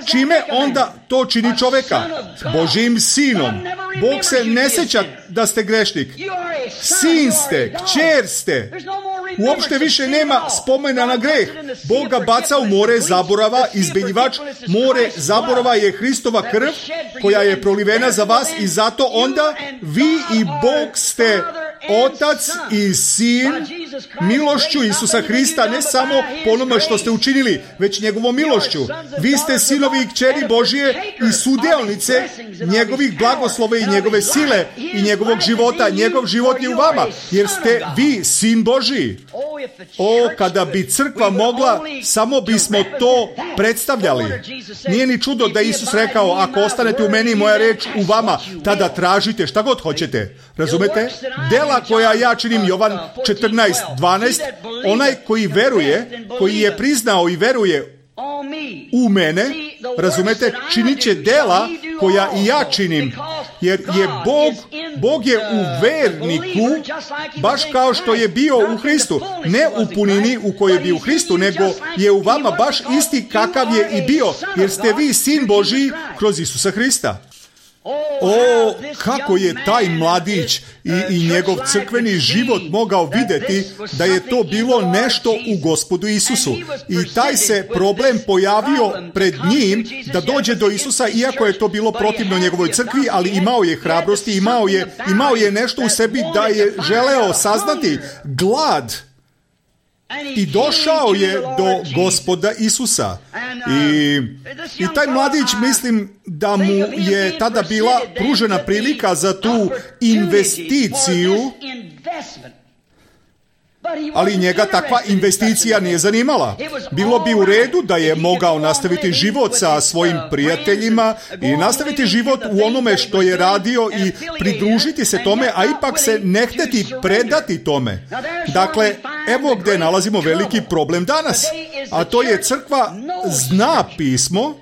Čime onda to čini čoveka? Božijim Sinom. Bog se ne sjeća da ste grešnik. Sin ste, kćer ste. Uopšte više nema spomena na greh. Bog ga baca u more zaborava, izbeljivač. More zaborava je Hristova krv koja je prolivena za vas i zato onda vi i Bog ste Otac i Sin milošću Isusa Hrista, ne samo po onome što ste učinili, već njegovom milošću. Vi ste sinovi i kćeri Božije i sudeonice njegovih blagoslova i njegove sile i njegovog života. Njegov život je u vama, jer ste vi sin Božiji. O, kada bi crkva mogla, samo bismo to predstavljali. Nije ni čudo da Isus rekao, ako ostanete u meni i moja reč u vama, tada tražite šta god hoćete. Razumete? Dela koja ja činim, Jovan četrnaest dvanaest, onaj koji veruje, koji je priznao i veruje u mene, razumete, činit će dela koja i ja činim, jer je Bog, Bog je u verniku, baš kao što je bio u Hristu, ne u punini u kojoj je bio u Hristu, nego je u vama baš isti kakav je i bio, jer ste vi sin Božiji kroz Isusa Hrista. O, kako je taj mladić i, i njegov crkveni život mogao vidjeti da je to bilo nešto u Gospodu Isusu. I taj se problem pojavio pred njim da dođe do Isusa, iako je to bilo protivno njegovoj crkvi, ali imao je hrabrosti, imao je, imao je nešto u sebi da je želeo saznati glad. I došao je do Gospoda Isusa. I, i taj mladić, mislim da mu je tada bila pružena prilika za tu investiciju, ali njega takva investicija nije zanimala. Bilo bi u redu da je mogao nastaviti život sa svojim prijateljima i nastaviti život u onome što je radio i pridružiti se tome, a ipak se ne hteti predati tome. Dakle, evo gdje nalazimo veliki problem danas, a to je crkva zna pismo.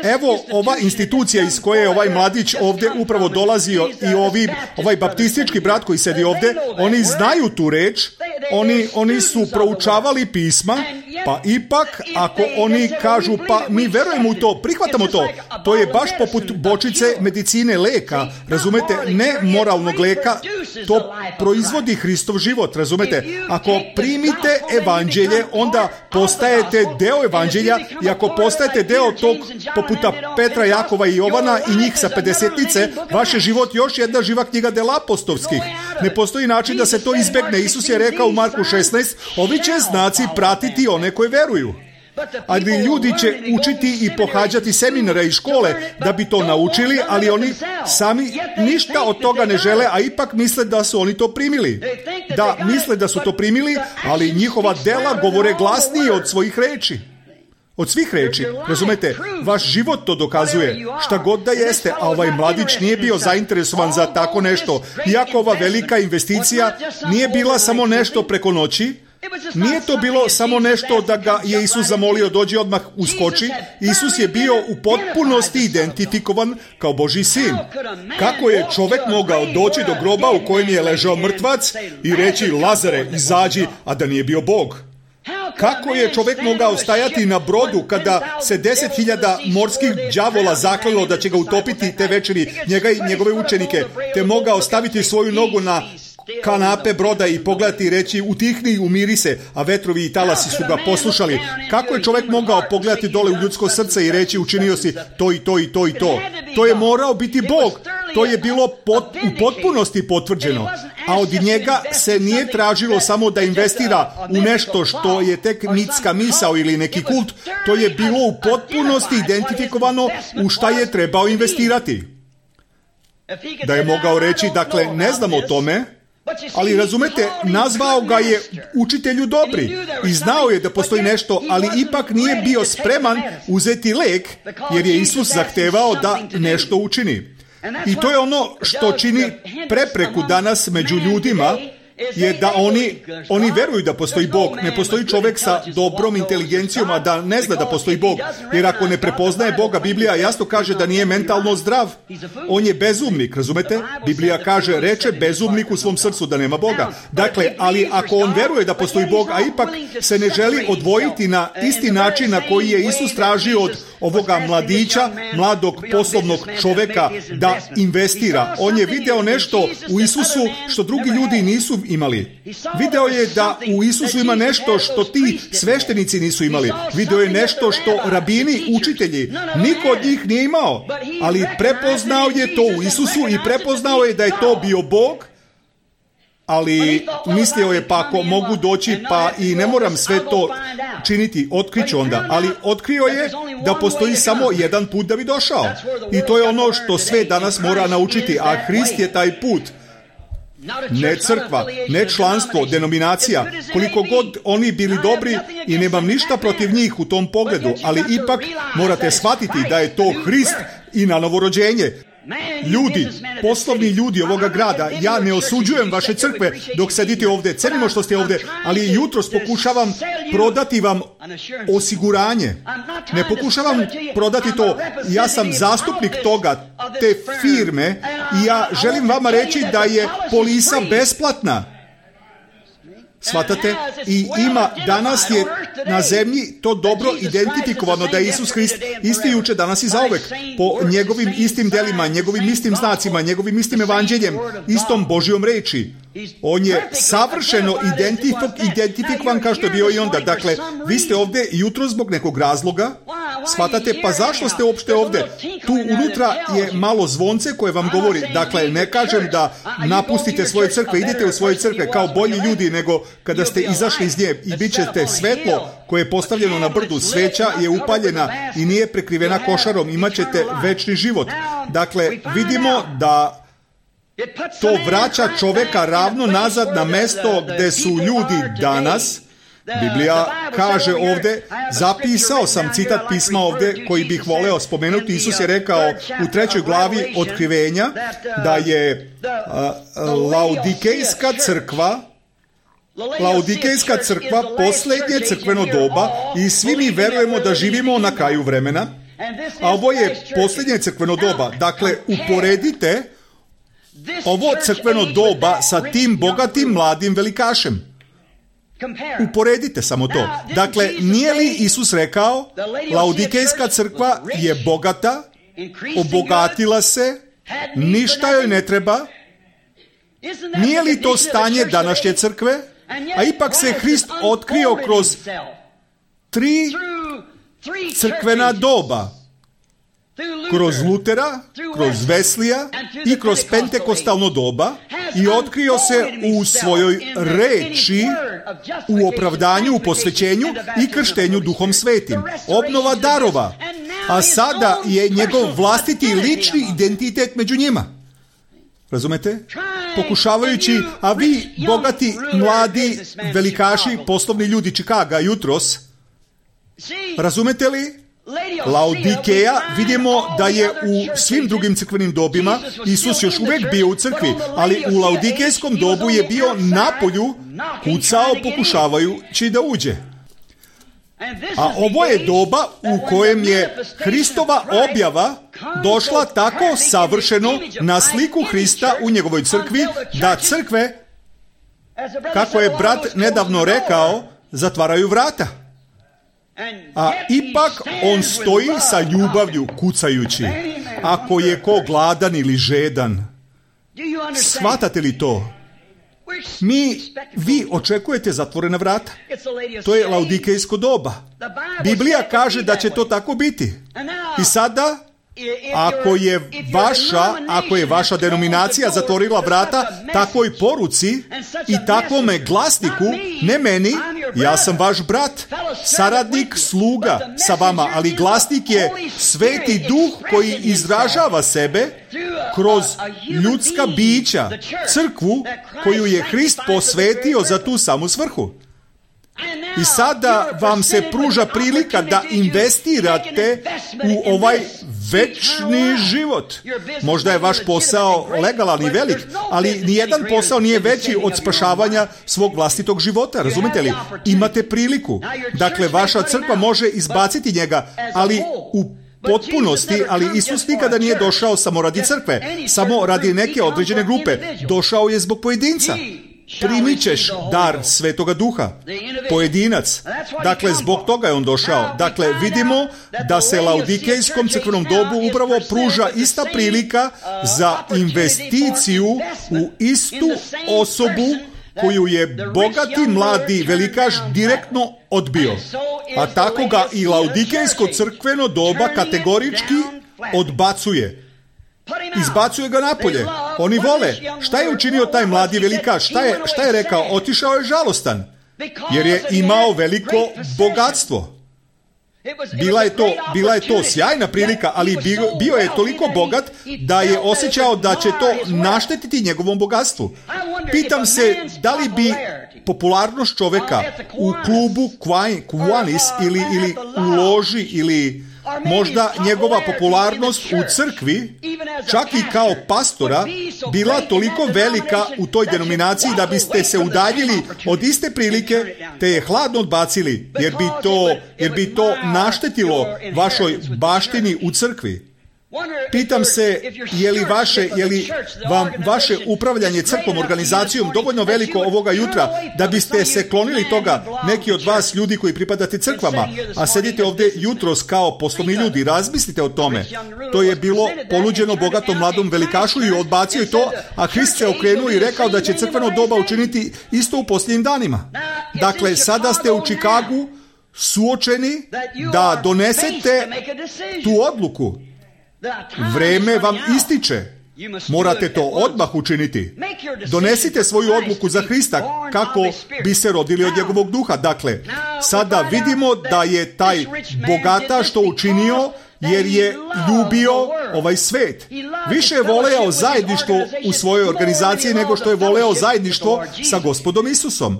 Evo ova institucija iz koje je ovaj mladić ovdje upravo dolazio i ovi, ovaj baptistički brat koji sedi ovdje, oni znaju tu reč, Oni, oni su proučavali pisma, pa ipak ako oni kažu pa mi verujemo u to, prihvatamo to, to je baš poput bočice medicine leka, razumete, ne moralnog leka, to proizvodi Hristov život, razumete. Ako primite evanđelje, onda postajete deo evanđelja i ako postajete deo tog poputa Petra, Jakova i Jovana i njih sa pedesetnice, vaš je život još jedna živa knjiga dela apostolskih. Ne postoji način da se to izbegne. Isus je rekao u Marku šesnaest, ovi će znaci pratiti one koji veruju. Ali ljudi će učiti i pohađati seminare i škole da bi to naučili, ali oni sami ništa od toga ne žele, a ipak misle da su oni to primili. Da, misle da su to primili, ali njihova dela govore glasnije od svojih reči. Od svih reči, razumete, vaš život to dokazuje, šta god da jeste, a ovaj mladić nije bio zainteresovan za tako nešto. Iako ova velika investicija nije bila samo nešto preko noći, nije to bilo samo nešto da ga je Isus zamolio dođi odmah uskoči. Isus je bio u potpunosti identifikovan kao Božji sin. Kako je čovjek mogao doći do groba u kojem je ležao mrtvac i reći Lazare, izađi, a da nije bio Bog? Kako je čovjek mogao stajati na brodu kada se deset hiljada morskih đavola zaklelo da će ga utopiti te večeri, njega i njegove učenike, te mogao staviti svoju nogu na kanape broda i pogledati i reći utihni i umiri se, a vetrovi i talasi su ga poslušali. Kako je čovjek mogao pogledati dole u ljudsko srce i reći učinio si to i to i to i to? To je morao biti Bog. To je bilo pot, u potpunosti potvrđeno. A od njega se nije tražilo samo da investira u nešto što je tek mitska misao ili neki kult. To je bilo u potpunosti identifikovano u šta je trebao investirati. Da je mogao reći, dakle, ne znam o tome, ali razumete, nazvao ga je učitelju dobri i znao je da postoji nešto, ali ipak nije bio spreman uzeti lek, jer je Isus zahtevao da nešto učini. I to je ono što čini prepreku danas među ljudima, je da oni, oni veruju da postoji Bog. Ne postoji čovjek sa dobrom inteligencijom, a da ne zna da postoji Bog. Jer ako ne prepoznaje Boga, Biblija jasno kaže da nije mentalno zdrav. On je bezumnik, razumete? Biblija kaže, reče bezumnik u svom srcu da nema Boga. Dakle, ali ako on veruje da postoji Bog, a ipak se ne želi odvojiti na isti način na koji je Isus tražio od ovoga mladića, mladog poslovnog čovjeka da investira. On je video nešto u Isusu što drugi ljudi nisu imali. Video je da u Isusu ima nešto što ti sveštenici nisu imali. Video je nešto što rabini, učitelji, niko od njih nije imao. Ali prepoznao je to u Isusu i prepoznao je da je to bio Bog. Ali mislio je, pa ako mogu doći, pa i ne moram sve to činiti, otkriću onda. Ali otkrio je da postoji samo jedan put da bi došao. I to je ono što sve danas mora naučiti, a Hrist je taj put. Ne crkva, ne članstvo, denominacija, koliko god oni bili dobri i nemam ništa protiv njih u tom pogledu, ali ipak morate shvatiti da je to Hrist i na novorođenje. Ljudi, poslovni ljudi ovoga grada, ja ne osuđujem vaše crkve dok sedite ovdje, cenimo što ste ovdje, ali jutros pokušavam prodati vam osiguranje. Ne pokušavam prodati to, ja sam zastupnik toga, te firme, i ja želim vama reći da je polisa besplatna. Shvatate? I ima, danas je na zemlji to dobro identifikovano da je Isus Hrist isti juče, danas i zauvek, po njegovim istim delima, njegovim istim znacima, njegovim istim evanđeljem, istom Božjom reči. On je savršeno identifik- identifikovan kao što je bio i onda. Dakle, vi ste ovdje jutro zbog nekog razloga. Shvatate, pa zašto ste uopšte ovdje? Tu unutra je malo zvonce koje vam govori. Dakle, ne kažem da napustite svoje crkve, idete u svoje crkve kao bolji ljudi nego kada ste izašli iz nje i bit ćete svetlo koje je postavljeno na brdu. Sveća je upaljena i nije prekrivena košarom. Imat ćete večni život. Dakle, vidimo da to vraća čoveka ravno nazad na mesto gde su ljudi danas. Biblija kaže ovdje, zapisao sam citat pisma ovdje koji bih voleo spomenuti. Isus je rekao u trećoj glavi Otkrivenja da je uh, Laodikejska crkva Laodikejska crkva posljednje crkveno doba i svi mi verujemo da živimo na kraju vremena, a ovo je posljednje crkveno doba. Dakle, uporedite ovo crkveno doba sa tim bogatim mladim velikašem. Uporedite samo to. Dakle, nije li Isus rekao, Laodikejska crkva je bogata, obogatila se, ništa joj ne treba? Nije li to stanje današnje crkve? A ipak se Hrist otkrio kroz tri crkvena doba. Kroz Lutera, kroz Veslija i kroz pentekostalno doba i otkrio se u svojoj reči, u opravdanju, u posvećenju i krštenju Duhom Svetim. Obnova darova. A sada je njegov vlastiti lični identitet među njima. Razumete? Pokušavajući, a vi, bogati, mladi, velikaši, poslovni ljudi Čikaga jutros, razumete li? Laodikeja, vidimo da je u svim drugim crkvenim dobima Isus još uvijek bio u crkvi, ali u laodikejskom dobu je bio napolju, kucao pokušavajući da uđe. A ovo je doba u kojem je Hristova objava došla tako savršeno na sliku Hrista u njegovoj crkvi, da crkve, kako je brat nedavno rekao, zatvaraju vrata. A ipak on stoji sa ljubavlju kucajući. Ako je ko gladan ili žedan. Shvatate li to? Mi, vi očekujete zatvorena vrata. To je laodikejsko doba. Biblija kaže da će to tako biti. I sada, ako je vaša, ako je vaša denominacija zatvorila vrata takvoj poruci i takvome glasniku, ne meni, ja sam vaš brat, saradnik, sluga sa vama, ali glasnik je Sveti Duh koji izražava sebe kroz ljudska bića, crkvu koju je Hrist posvetio za tu samu svrhu. I sada vam se pruža prilika da investirate u ovaj večni život. Možda je vaš posao legalan i velik, ali nijedan posao nije veći od spašavanja svog vlastitog života, razumite li? Imate priliku. Dakle, vaša crkva može izbaciti njega, ali u potpunosti, ali Isus nikada nije došao samo radi crkve, samo radi neke određene grupe. Došao je zbog pojedinca. Primit ćeš dar Svetoga Duha. Pojedinac. Dakle, zbog toga je on došao. Dakle, vidimo da se laodikejskom crkvenom dobu upravo pruža ista prilika za investiciju u istu osobu koju je bogati mladi velikaš direktno odbio. A tako ga i laodikejsko crkveno doba kategorički odbacuje. Izbacuje ga napolje. Oni vole. Šta je učinio taj mladi velikaš? Šta je, šta je rekao? Otišao je žalostan. Jer je imao veliko bogatstvo. Bila je to, bila je to sjajna prilika, ali bio, bio je toliko bogat da je osjećao da će to naštetiti njegovom bogatstvu. Pitam se da li bi popularnost čoveka u klubu Kiwanis ili, ili u loži ili možda njegova popularnost u crkvi, čak i kao pastora, bila toliko velika u toj denominaciji da biste se udaljili od iste prilike te je hladno odbacili, jer bi to, jer bi to naštetilo vašoj baštini u crkvi. Pitam se, je li, vaše, je li vam vaše upravljanje crkvom, organizacijom dovoljno veliko ovoga jutra da biste se klonili toga, neki od vas ljudi koji pripadate crkvama, a sedite ovdje jutros kao poslovni ljudi, razmislite o tome. To je bilo ponuđeno bogatom mladom velikašu i odbacio je to, a Hrist se okrenuo i rekao da će crkveno doba učiniti isto u posljednjim danima. Dakle, sada ste u Čikagu suočeni da donesete tu odluku. Vreme vam ističe. Morate to odmah učiniti. Donesite svoju odluku za Hrista kako bi se rodili od njegovog duha. Dakle, sada vidimo da je taj bogataš to učinio jer je ljubio ovaj svet. Više je voleo zajedništvo u svojoj organizaciji nego što je voleo zajedništvo sa Gospodom Isusom.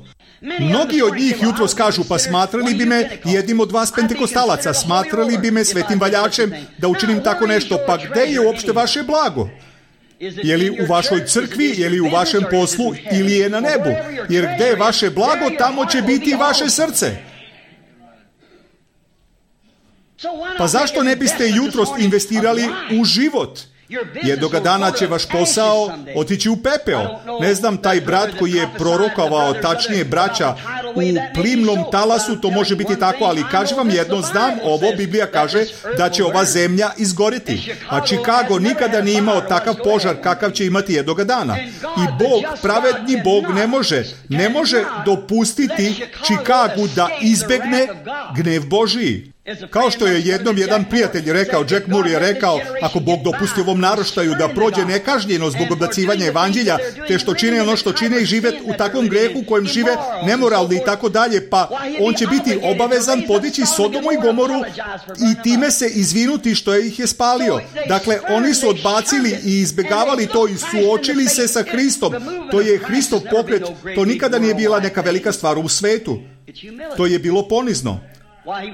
Mnogi od njih jutros kažu, pa smatrali bi me jednim od vas pentekostalaca, smatrali bi me svetim valjačem da učinim tako nešto, pa gde je uopšte vaše blago? Je li u vašoj crkvi, je li u vašem poslu ili je na nebu? Jer gde je vaše blago, tamo će biti i vaše srce. Pa zašto ne biste jutros investirali u život? Jednoga dana će vaš posao otići u pepeo. Ne znam, taj brat koji je prorokovao, tačnije braća, u plimnom talasu, to može biti tako, ali kažem vam jedno, znam ovo, Biblija kaže da će ova zemlja izgoriti. A Chicago nikada nije imao takav požar kakav će imati jednoga dana. I Bog, pravedni Bog, ne može, ne može dopustiti Chicagu da izbegne gnev Božiji. Kao što je jednom jedan prijatelj rekao, Jack Moore je rekao, ako Bog dopusti ovom naraštaju da prođe nekažnjeno zbog odbacivanja evanđelja, te što čine ono što čine i žive u takvom grehu u kojem žive nemoralni i tako dalje, pa on će biti obavezan podići Sodomu i Gomoru i time se izvinuti što je ih je spalio. Dakle, oni su odbacili i izbjegavali to i suočili se sa Hristom. To je Hristov pokret, to nikada nije bila neka velika stvar u svetu. To je bilo ponizno.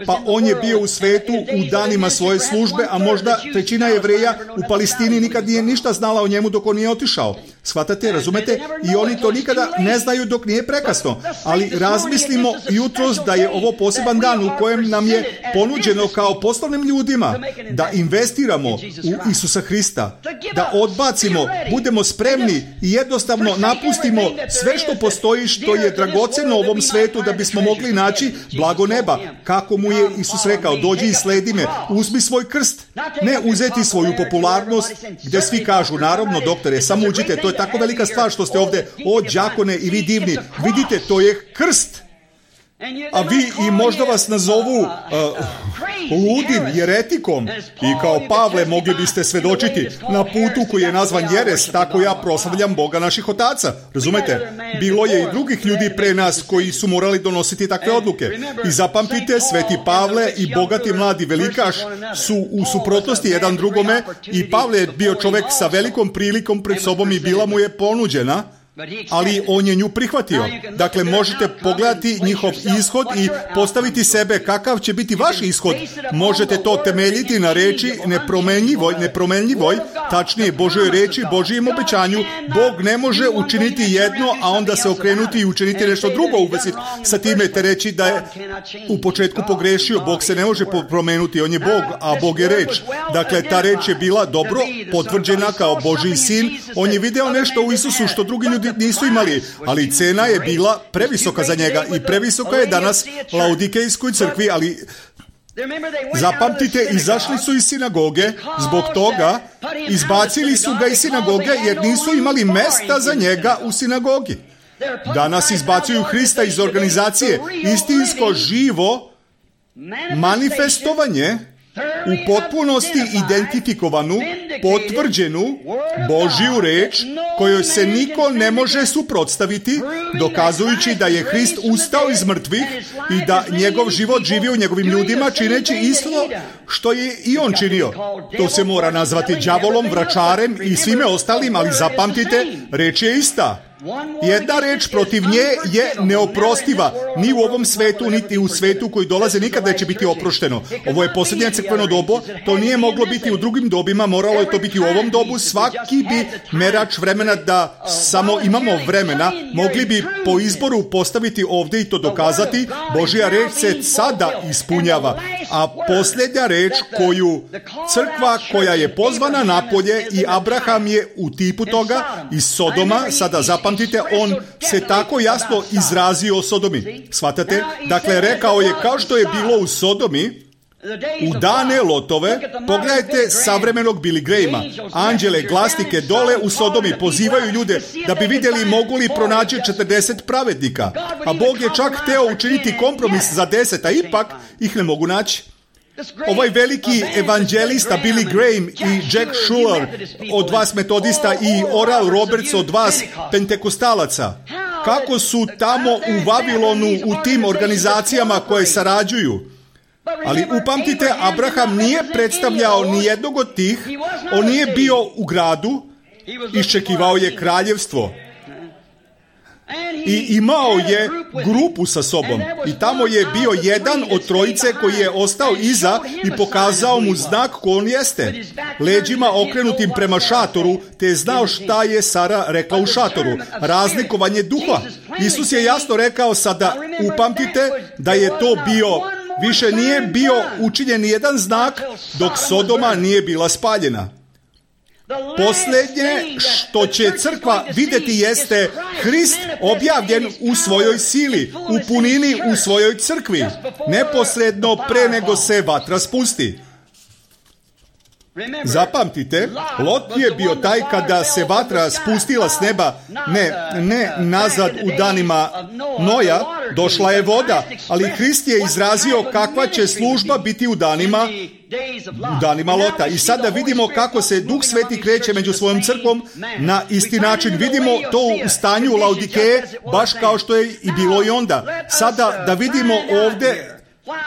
Pa on je bio u svetu u danima svoje službe, a možda trećina Jevreja u Palestini nikad nije ništa znala o njemu dok on nije otišao. Shvatate, razumete? I oni to nikada ne znaju dok nije prekasno. Ali razmislimo jutros da je ovo poseban dan u kojem nam je ponuđeno kao poslovnim ljudima da investiramo u Isusa Hrista, da odbacimo, budemo spremni i jednostavno napustimo sve što postoji što je dragoceno u ovom svetu da bismo mogli naći blago neba. Kako mu je Isus rekao, dođi i sledi me, uzmi svoj krst, ne uzeti svoju popularnost, gdje svi kažu, naravno doktore, samo uđite, to je tako velika stvar što ste ovdje, o đakone i vi divni, vidite, to je krst. A vi i možda vas nazovu uh, ludim, jeretikom i kao Pavle mogli biste svedočiti na putu koji je nazvan jeres, tako ja proslavljam Boga naših otaca. Razumete? Bilo je i drugih ljudi pre nas koji su morali donositi takve odluke. I zapamtite, sveti Pavle i bogati mladi velikaš su u suprotnosti jedan drugome i Pavle je bio čovjek sa velikom prilikom pred sobom i bila mu je ponuđena ali on je nju prihvatio. Dakle, možete pogledati njihov ishod i postaviti sebe kakav će biti vaš ishod. Možete to temeljiti na reči nepromenljivoj, nepromenljivoj, tačnije Božoj reči, Božijem obećanju. Bog ne može učiniti jedno, a onda se okrenuti i učiniti nešto drugo u vezi sa time, te reći da je u početku pogrešio. Bog se ne može promenuti, on je Bog, a Bog je reč. Dakle, ta reč je bila dobro potvrđena kao Božji sin. On je video nešto u Isusu što drugi ljudi nisu imali, ali cena je bila previsoka za njega i previsoka je danas Laodikejskoj crkvi, ali zapamtite, izašli su iz sinagoge, zbog toga izbacili su ga iz sinagoge jer nisu imali mesta za njega u sinagogi. Danas izbacuju Hrista iz organizacije, istinsko živo manifestovanje u potpunosti identifikovanu, potvrđenu Božju reč kojoj se niko ne može suprotstaviti, dokazujući da je Hrist ustao iz mrtvih i da njegov život živi u njegovim ljudima, čineći isto što je i on činio. To se mora nazvati đavolom, vračarem i svime ostalim, ali zapamtite, reč je ista. Jedna reč protiv nje je neoprostiva. Ni u ovom svetu, niti u svetu koji dolaze nikada neće biti oprošteno. Ovo je posljednje crkveno dobo, to nije moglo biti u drugim dobima, moralo je to biti u ovom dobu. Svaki bi merač vremena, da samo imamo vremena, mogli bi po izboru postaviti ovdje i to dokazati. Božja reč se sada ispunjava, a posljednja reč koju crkva koja je pozvana napolje, i Abraham je u tipu toga iz Sodoma, sada zapamtite, on se tako jasno izrazio o Sodomi. Shvatate? Dakle, rekao je kao što je bilo u Sodomi, u dane Lotove. Pogledajte savremenog Billy Grahama. Anđele, glasnike dole u Sodomi pozivaju ljude da bi vidjeli mogu li pronaći četrdeset pravednika. A Bog je čak hteo učiniti kompromis za deset, a ipak ih ne mogu naći. Ovaj veliki evanđelista Billy Graham i Jack Shuler od vas metodista i Oral Roberts od vas pentekostalaca, kako su tamo u Vavilonu u tim organizacijama koje sarađuju. Ali upamtite, Abraham nije predstavljao ni jednog od tih, on nije bio u gradu, iščekivao je kraljevstvo. I imao je grupu sa sobom i tamo je bio jedan od trojice koji je ostao iza i pokazao mu znak ko on jeste, leđima okrenutim prema šatoru, te je znao šta je Sara rekla u šatoru, razlikovanje duha. Isus je jasno rekao sada, upamtite da je to bio, više nije bio učinjen nijedan znak dok Sodoma nije bila spaljena. Posljednje što će crkva vidjeti jeste Hrist objavljen u svojoj sili, u punini u svojoj crkvi, neposredno pre nego se vatra spusti. Zapamtite, Lot je bio taj kada se vatra spustila s neba, ne, ne nazad u danima Noja, došla je voda, ali Hrist je izrazio kakva će služba biti u danima u danima Lota. I sada vidimo kako se Duh Sveti kreće među svojom crkvom na isti način. Vidimo to u stanju Laodikeje, baš kao što je i bilo i onda. Sada da vidimo ovdje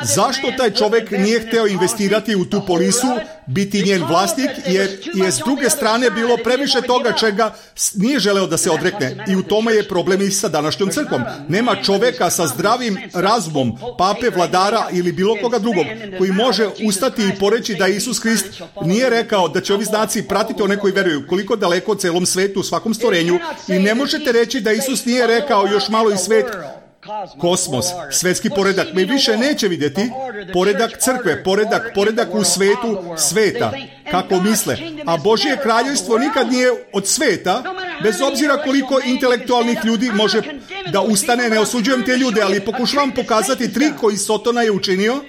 zašto taj čovjek nije hteo investirati u tu polisu, biti njen vlasnik, jer je s druge strane bilo previše toga čega nije želeo da se odrekne. I u tome je problem i sa današnjom crkvom. Nema čovjeka sa zdravim razumom, pape, vladara ili bilo koga drugog, koji može ustati i poreći da Isus Hrist nije rekao da će ovi znaci pratiti one koji veruju. Koliko daleko u celom svetu, u svakom stvorenju. I ne možete reći da Isus nije rekao još malo i svet, kosmos, svetski poredak. Mi više neće vidjeti poredak crkve, poredak, poredak u svetu sveta, kako misle. A Božje kraljevstvo nikad nije od sveta, bez obzira koliko intelektualnih ljudi može da ustane. Ne osuđujem te ljude, ali pokušavam pokazati trik koji Sotona je učinio.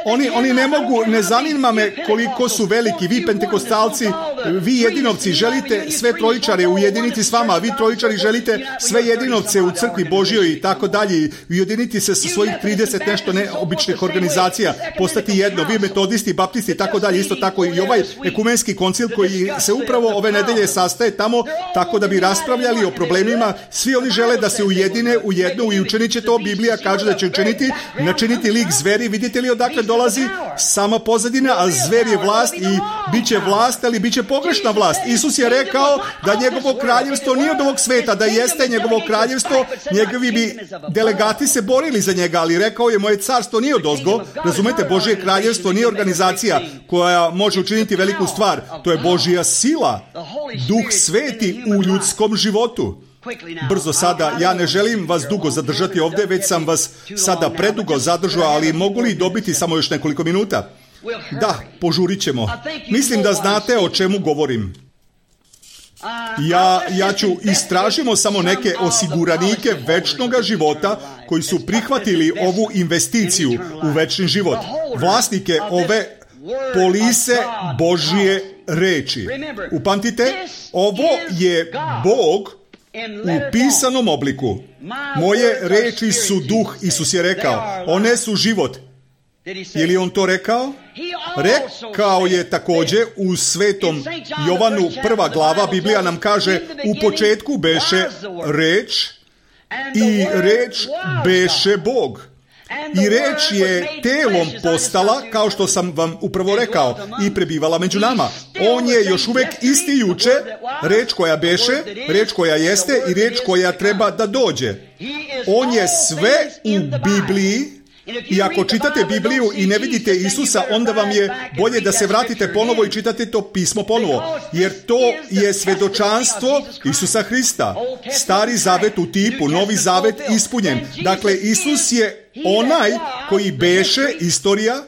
Oni, oni ne mogu, ne zanima me koliko su veliki, vi pentekostalci, vi jedinovci želite sve trojičare ujediniti s vama, a vi trojičari želite sve jedinovce u crkvi Božjoj i tako dalje, ujediniti se sa svojih trideset nešto neobičnih organizacija, postati jedno, vi metodisti, baptisti i tako dalje, isto tako i ovaj ekumenski koncil koji se upravo ove nedelje sastaje tamo tako da bi raspravljali o problemima. Svi oni žele da se ujedine u jednu i učinit će to. Biblija kaže da će učiniti, načiniti lik zveri. Vidite li odakle dolazi? Sama pozadina, a zver je vlast i bit će vlast, ali bit će pogrešna vlast. Isus je rekao da njegovo kraljevstvo nije od ovog sveta, da jeste njegovo kraljevstvo, njegovi bi delegati se borili za njega, ali rekao je moje carstvo nije od ozgo. Razumete, Božje kraljevstvo nije organizacija koja može učiniti veliku stvar. To je Božja sila, Duh Sveti u ljudskom životu. Brzo sada, ja ne želim vas dugo zadržati ovdje, već sam vas sada predugo zadržao, ali mogu li dobiti samo još nekoliko minuta? Da, požurit ćemo. Mislim da znate o čemu govorim. Ja, ja ću istražimo samo neke osiguranike večnoga života koji su prihvatili ovu investiciju u večni život. Vlasnike ove polise Božje reči. Upamtite, ovo je Bog u pisanom obliku. Moje reči su duh, Isus je rekao. One su život. Je li on to rekao? Rekao je također u Svetom Jovanu prva glava, Biblija nam kaže, u početku beše reč i reč beše Bog. I reč je telom postala, kao što sam vam upravo rekao, i prebivala među nama. On je još uvijek isti juče, reč koja beše, reč koja jeste i reč koja treba da dođe. On je sve u Bibliji. I ako čitate Bibliju i ne vidite Isusa, onda vam je bolje da se vratite ponovo i čitate to pismo ponovo. Jer to je svedočanstvo Isusa Hrista. Stari zavet u tipu, novi zavet ispunjen. Dakle, Isus je onaj koji beše istorija,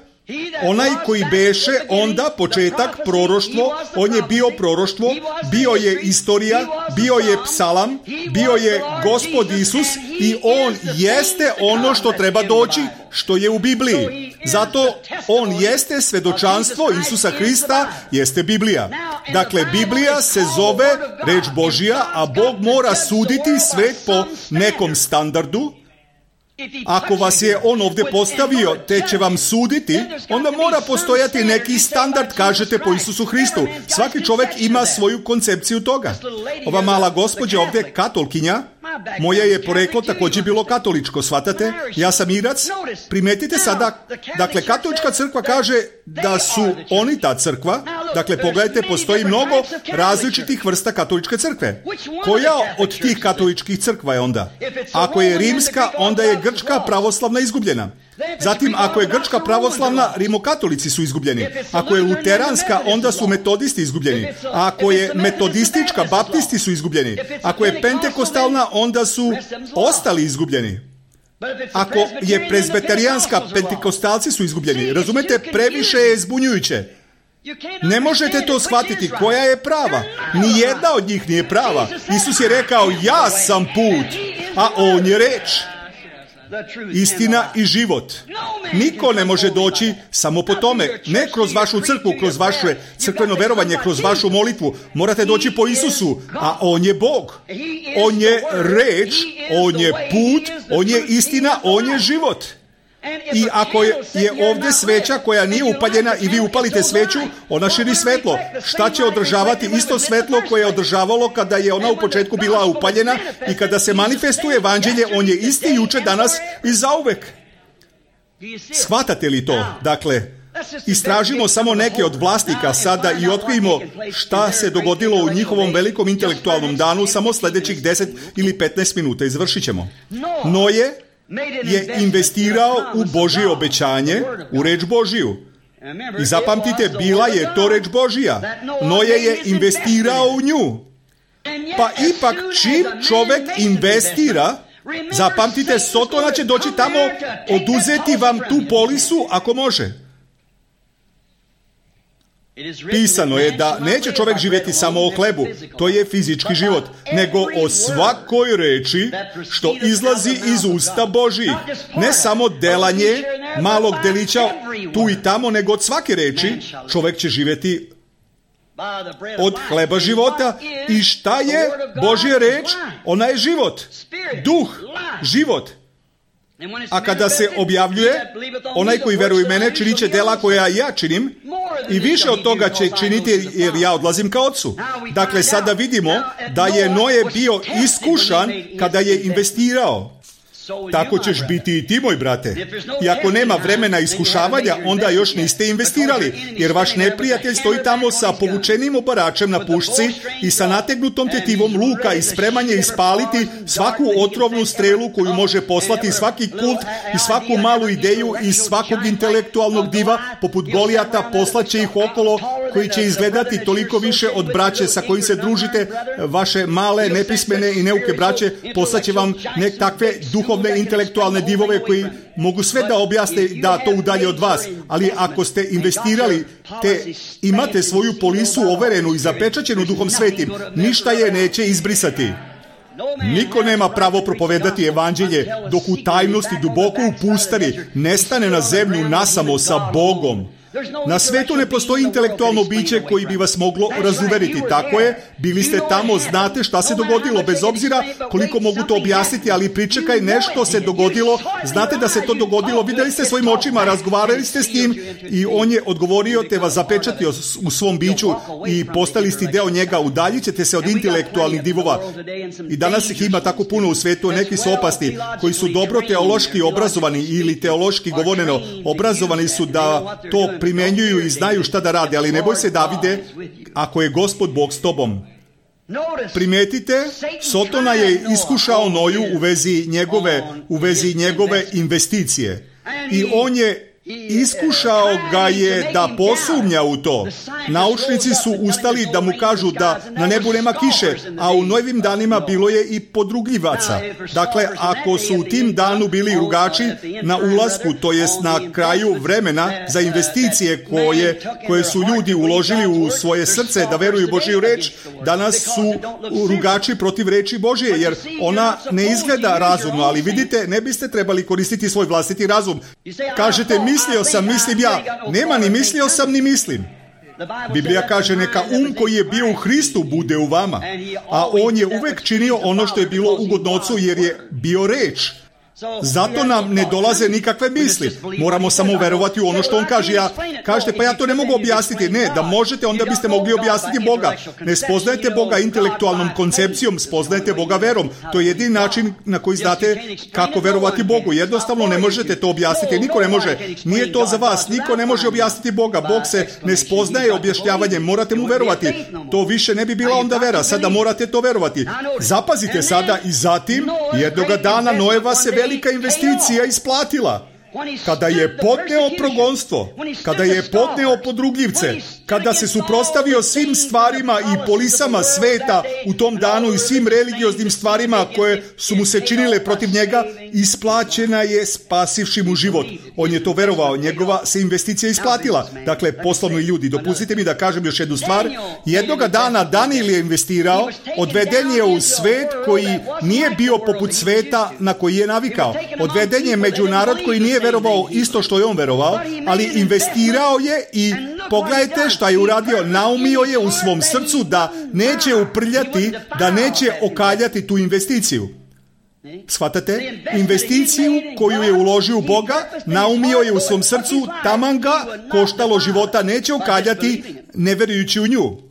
onaj koji beše onda početak proroštvo, on je bio proroštvo, bio je istorija, bio je psalam, bio je Gospod Isus i on jeste ono što treba doći, što je u Bibliji. Zato on jeste svedočanstvo Isusa Hrista, jeste Biblija. Dakle, Biblija se zove reč Božja, a Bog mora suditi svet po nekom standardu. Ako vas je on ovdje postavio, te će vam suditi, onda mora postojati neki standard, kažete, po Isusu Hristu. Svaki čovjek ima svoju koncepciju toga. Ova mala gospođa ovdje, katolkinja, moje je poreklo također bilo katoličko, shvatate? Ja sam Irac. Primetite sada, dakle, katolička crkva kaže da su oni ta crkva. Dakle, pogledajte, postoji mnogo različitih vrsta katoličke crkve. Koja od tih katoličkih crkva je onda? Ako je rimska, onda je grčka pravoslavna izgubljena. Zatim, ako je grčka pravoslavna, rimokatolici su izgubljeni. Ako je luteranska, onda su metodisti izgubljeni. A ako je metodistička, baptisti su izgubljeni. Ako je pentekostalna, onda su ostali izgubljeni. Ako je prezbeterijanska, pentekostalci su izgubljeni. Razumete, previše je zbunjujuće. Ne možete to shvatiti koja je prava. Nijedna od njih nije prava. Isus je rekao, ja sam put, a on je reč. Istina i život. Niko ne može doći samo po tome. Ne kroz vašu crkvu, kroz vaše crkveno verovanje, kroz vašu molitvu. Morate doći po Isusu, a on je Bog. On je reč, on je put, on je istina, on je život. I ako je, je ovdje sveća koja nije upaljena i vi upalite sveću, ona širi svetlo. Šta će održavati isto svetlo koje je održavalo kada je ona u početku bila upaljena i kada se manifestuje evanđelje, on je isti juče, danas i zauvek. Shvatate li to? Dakle, istražimo samo neke od vlasnika sada i otkrijemo šta se dogodilo u njihovom velikom intelektualnom danu samo sljedećih deset ili petnaest minuta. Izvršit ćemo. Noje je investirao u Božje obećanje, u reč Božiju. I zapamtite, bila je to reč Božija. Noje je investirao u nju. Pa ipak čim čovjek investira, zapamtite, Sotona će doći tamo, oduzeti vam tu polisu ako može. Pisano je da neće čovjek živjeti samo o hlebu, to je fizički život, nego o svakoj reči što izlazi iz usta Božjih. Ne samo delanje malog delića tu i tamo, nego od svake reči čovjek će živjeti od hleba života. I šta je Božja reč? Ona je život. Duh, život. A kada se objavljuje, onaj koji veruje u mene činit će dela koja ja činim i više od toga će činiti jer ja odlazim ka Otcu. Dakle, sada vidimo da je Noje bio iskušan kada je investirao. Tako ćeš biti i ti, moj brate. I ako nema vremena iskušavanja, onda još niste investirali, jer vaš neprijatelj stoji tamo sa povučenim obaračem na pušci i sa nategnutom tetivom luka i spreman je ispaliti svaku otrovnu strelu koju može poslati svaki kult i svaku malu ideju iz svakog intelektualnog diva, poput Golijata, poslaće ih okolo, koji će izgledati toliko više od braće sa kojim se družite, vaše male, nepismene i neuke braće, poslaće vam nek takve duhovne, intelektualne divove koji mogu sve da objasne da to udalje od vas. Ali ako ste investirali, te imate svoju polisu overenu i zapečaćenu Duhom Svetim, ništa je neće izbrisati. Niko nema pravo propovedati evanđelje dok u tajnosti duboko u pustari ne stane na zemlju nasamo sa Bogom. Na svetu ne postoji intelektualno biće koji bi vas moglo razuveriti. Tako je, bili ste tamo, znate šta se dogodilo, bez obzira koliko mogu to objasniti, ali pričekaj, nešto se dogodilo, znate da se to dogodilo, vidjeli ste svojim očima, razgovarali ste s njim i on je odgovorio, te vas zapečatio u svom biću i postali ste deo njega, udaljit ćete se od intelektualnih divova. I danas ih ima tako puno u svetu, neki su opasni, koji su dobro teološki obrazovani ili teološki govoreno obrazovani su da to primenjuju i znaju šta da rade, ali ne boj se, Davide, ako je Gospod Bog s tobom. Primetite, Sotona je iskušao Noju u vezi njegove, u vezi njegove investicije. I on je iskušao ga je da posumnja u to. Naučnici su ustali da mu kažu da na nebu nema kiše, a u Nojevim danima bilo je i podrugljivaca. Dakle, ako su u tim danu bili rugači na ulasku, to jest na kraju vremena za investicije koje, koje su ljudi uložili u svoje srce da veruju Božju reč, danas su rugači protiv reči Božje, jer ona ne izgleda razumno, ali vidite, ne biste trebali koristiti svoj vlastiti razum. Kažete, mislio sam, mislim ja. Nema ni mislio sam, ni mislim. Biblija kaže, neka um koji je bio u Hristu bude u vama. A on je uvek činio ono što je bilo ugodno Ocu, jer je bio reč. Zato nam ne dolaze nikakve misli. Moramo samo verovati u ono što on kaže. Ja, kažete, pa ja to ne mogu objasniti. Ne, da možete, onda biste mogli objasniti Boga. Ne spoznajete Boga intelektualnom koncepcijom, spoznajete Boga verom. To je jedini način na koji znate kako verovati Bogu. Jednostavno ne možete to objasniti. Niko ne može. Nije to za vas. Niko ne može objasniti Boga. Bog se ne spoznaje objašnjavanjem. Morate mu verovati. To više ne bi bila onda vera. Sada morate to verovati. Zapazite sada i zatim jednoga dana Noeva se velika investicija isplatila. Kada je podneo progonstvo, kada je podneo podrugljivce, kada se suprotstavio svim stvarima i polisama sveta u tom danu i svim religioznim stvarima koje su mu se činile protiv njega, isplaćena je spasivši mu život. On je to verovao, njegova se investicija isplatila. Dakle, poslovni ljudi, dopustite mi da kažem još jednu stvar. Jednoga dana Danijel je investirao, odveden je u svet koji nije bio poput sveta na koji je navikao. Odveden je među narod koji nije verovao isto što je on verovao, ali investirao je i pogledajte šta je uradio. Naumio je u svom srcu da neće uprljati, da neće okaljati tu investiciju. Shvatate? Investiciju koju je uložio u Boga, naumio je u svom srcu, taman ga koštalo života, neće okaljati ne verujući u nju.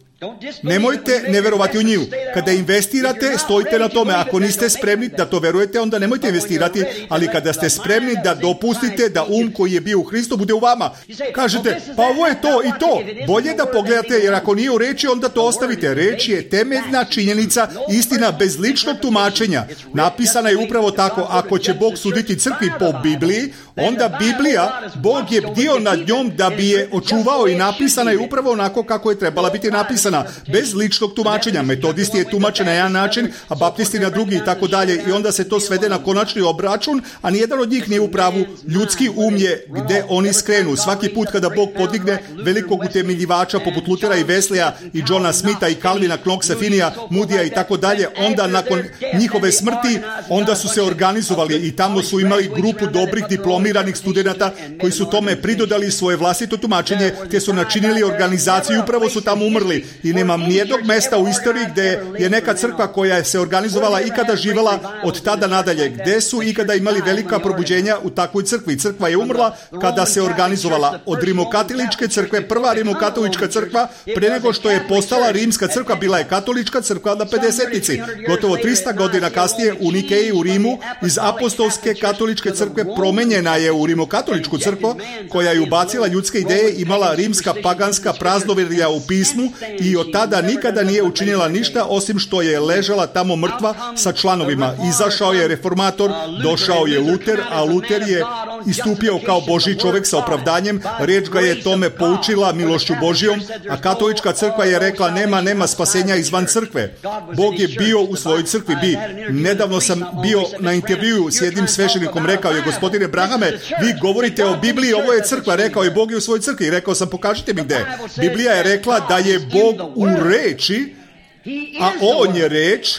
Nemojte ne verovati u nju. Kada investirate, stojite na tome. Ako niste spremni da to verujete, onda nemojte investirati, ali kada ste spremni da dopustite da um koji je bio u Hristu bude u vama. Kažete, pa ovo je to i to. Bolje da pogledate, jer ako nije u reči, onda to ostavite. Reč je temeljna činjenica, istina bez ličnog tumačenja. Napisana je upravo tako. Ako će Bog suditi crkvi po Bibliji, onda Biblija, Bog je bdio nad njom da bi je očuvao i napisana je upravo onako kako je trebala biti napisana. Bez ličnog tumačenja. Metodisti je tumačen na jedan način, a baptisti na drugi i tako dalje. I onda se to svede na konačni obračun, a nijedan od njih nije u pravu. Ljudski um je gde oni skrenu. Svaki put kada Bog podigne velikog utemeljivača poput Lutera i Weslija i Johna Smitha i Calvina, Knoxa, Finija, Moodya i tako dalje, onda nakon njihove smrti, onda su se organizovali i tamo su imali grupu dobrih diplomiranih studenata koji su tome pridodali svoje vlastito tumačenje, te su načinili organizaciju i upravo su tamo umrli. i nemam nijednog mesta u istoriji gdje je neka crkva koja se organizovala ikada živjela od tada nadalje, gdje su ikada imali velika probuđenja u takvoj crkvi. Crkva je umrla kada se organizovala. Od rimokatoličke crkve, prva rimokatolička crkva, pre nego što je postala rimska crkva, bila je katolička crkva na pedesetnici. Gotovo trista godina kasnije u Nikeji u Rimu iz apostolske katoličke crkve promenjena je u rimokatoličku crkvu koja je ubacila ljudske ideje, imala rimska paganska praznoverja u pismu i od tada nikada nije učinila ništa osim što je ležala tamo mrtva sa članovima. Izašao je reformator, došao je Luter, a Luter je istupio kao Božji čovjek sa opravdanjem, riječ ga je tome poučila milošću Božjom, a katolička crkva je rekla nema, nema spasenja izvan crkve. Bog je bio u svojoj crkvi. Bi. Nedavno sam bio na intervjuu s jednim sveštenikom, rekao je, gospodine Brahame, vi govorite o Bibliji, ovo je crkva, rekao je, Bog je u svojoj crkvi. Rekao sam, pokažite mi gdje. Biblija je rekla da je Bog u reči, a on je reč.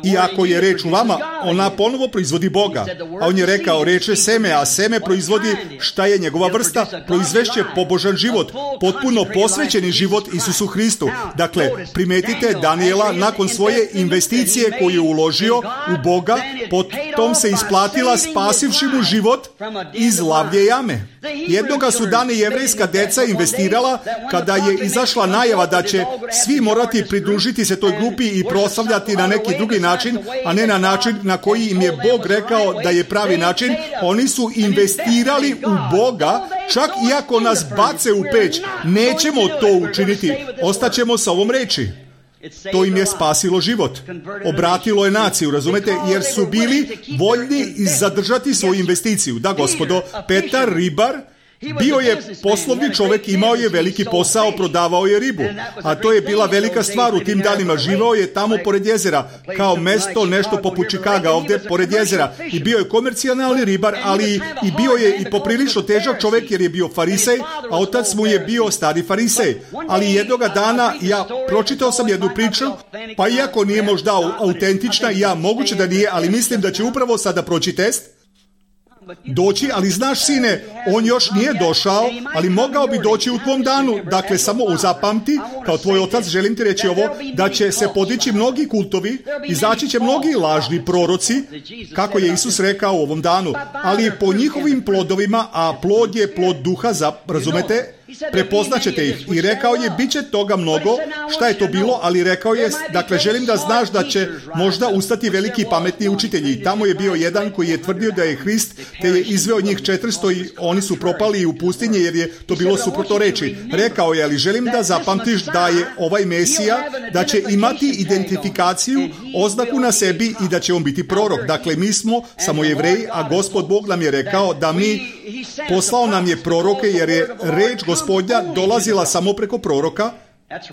I ako je reč u vama, ona ponovo proizvodi Boga. A on je rekao, reč je seme, a seme proizvodi šta je njegova vrsta, proizvešće pobožan život, potpuno posvećeni život Isusu Hristu. Dakle, primetite Danijela nakon svoje investicije koju je uložio u Boga, potom se isplatila spasivši mu život iz lavlje jame. Jednoga su dana jevrejska deca investirala kada je izašla najava da će svi morati pridružiti se toj grupi i proslavljati na neki drugi način, a ne na način na koji im je Bog rekao da je pravi način. Oni su investirali u Boga, čak iako nas bace u peć. Nećemo to učiniti, ostaćemo sa ovom reči. To im je spasilo život. Obratilo je naciju, razumete, jer su bili voljni zadržati svoju investiciju. Da, gospodo, Petar, ribar, bio je poslovni čovjek, imao je veliki posao, prodavao je ribu. A to je bila velika stvar u tim danima. Živao je tamo pored jezera, kao mesto, nešto poput Čikaga ovdje pored jezera. I bio je komercijalni ribar, ali i bio je i poprilično težak čovjek jer je bio farisej, a otac mu je bio stari farisej. Ali jednoga dana ja pročitao sam jednu priču, pa iako nije možda autentična, ja moguće da nije, ali mislim da će upravo sada proći test. Doći, ali znaš sine, on još nije došao, ali mogao bi doći u tvom danu. Dakle, samo uzapamti, kao tvoj otac želim ti reći ovo, da će se podići mnogi kultovi, izaći će mnogi lažni proroci, kako je Isus rekao u ovom danu, ali po njihovim plodovima, a plod je plod duha, za, razumete, prepoznaćete ih. I rekao je, bit će toga mnogo. Šta je to bilo? Ali rekao je, dakle, želim da znaš da će možda ustati veliki pametni učitelji. Tamo je bio jedan koji je tvrdio da je Hrist, te je izveo njih četiristo i oni su propali u pustinje jer je to bilo suprotno reči. Rekao je, ali želim da zapamtiš da je ovaj Mesija, da će imati identifikaciju, oznaku na sebi i da će on biti prorok. Dakle, mi smo samo Jevreji, a Gospod Bog nam je rekao da mi, poslao nam je proroke jer je reč Gospodnja dolazila samo preko proroka,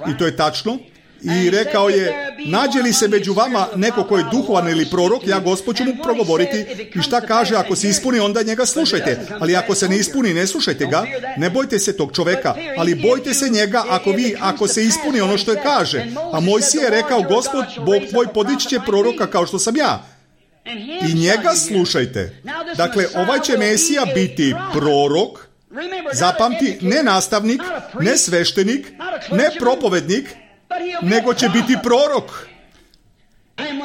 i to je tačno. I rekao je, nađe li se među vama neko ko je duhovan ili prorok, ja Gospod ću mu progovoriti i šta kaže, ako se ispuni, onda njega slušajte. Ali ako se ne ispuni, ne slušajte ga, ne bojte se tog čoveka, ali bojte se njega ako vi, ako se ispuni ono što je kaže. A Mojsije je rekao, Gospod, Bog tvoj podići će proroka kao što sam ja. I njega slušajte. Dakle, ovaj će Mesija biti prorok, zapamti, ne nastavnik, ne sveštenik, ne propovednik, nego će biti prorok.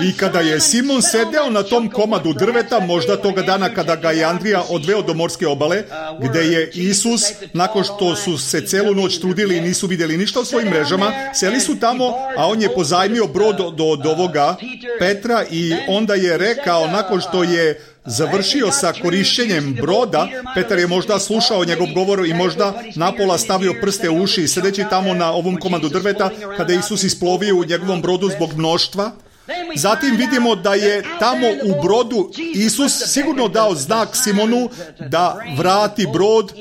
I kada je Simon sedeo na tom komadu drveta, možda toga dana kada ga je Andrija odveo do morske obale, gdje je Isus, nakon što su se celu noć trudili i nisu vidjeli ništa u svojim mrežama, seli su tamo, a on je pozajmio brod od, od ovoga Petra i onda je rekao, nakon što je završio sa korišćenjem broda, Petar je možda slušao njegov govor i možda napola stavio prste u uši, sedeći tamo na ovom komadu drveta, kada je Isus isplovio u njegovom brodu zbog mnoštva. Zatim vidimo da je tamo u brodu Isus sigurno dao znak Simonu da vrati brod.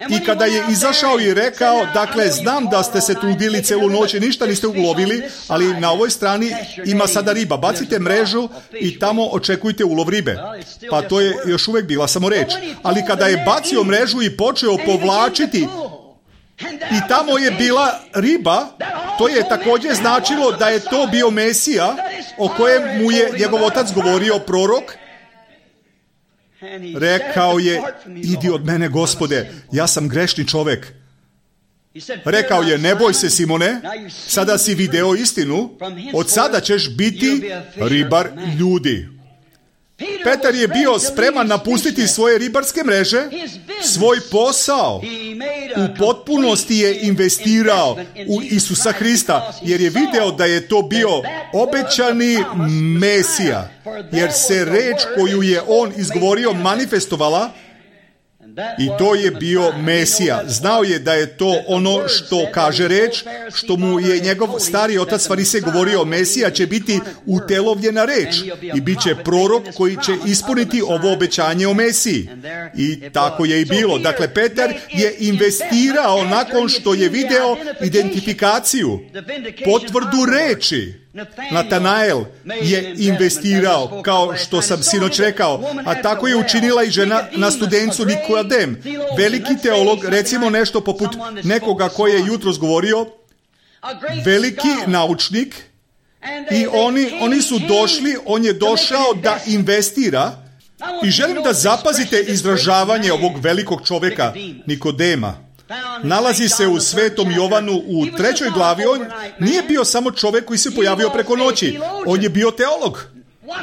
I kada je izašao i rekao, dakle, znam da ste se trudili celu noć i ništa niste ulovili, ali na ovoj strani ima sada riba. Bacite mrežu i tamo očekujte ulov ribe. Pa to je još uvijek bila samo reč. Ali kada je bacio mrežu i počeo povlačiti i tamo je bila riba, to je također značilo da je to bio Mesija o kojem mu je njegov otac govorio, prorok. Rekao je, idi od mene, Gospode, ja sam grešni čovjek. Rekao je, ne boj se, Simone, sada si video istinu, od sada ćeš biti ribar ljudi. Petar je bio spreman napustiti svoje ribarske mreže, svoj posao. U potpunosti je investirao u Isusa Hrista, jer je video da je to bio obećani Mesija, jer se reč koju je on izgovorio manifestovala, i to je bio Mesija. Znao je da je to ono što kaže reč, što mu je njegov stari otac Farisej govorio, Mesija će biti utelovljena reč i bit će prorok koji će ispuniti ovo obećanje o Mesiji. I tako je i bilo. Dakle, Petar je investirao nakon što je video identifikaciju, potvrdu reči. Natanael je investirao, kao što sam sinoć rekao, a tako je učinila i žena na studencu Nikodem. Veliki teolog, recimo nešto poput nekoga koji je jutros govorio, veliki naučnik, i oni, oni su došli, on je došao da investira, i želim da zapazite izražavanje ovog velikog čovjeka Nikodema. Nalazi se u Svetom Jovanu u trećoj glavi. On nije bio samo čovjek koji se pojavio preko noći. On je bio teolog.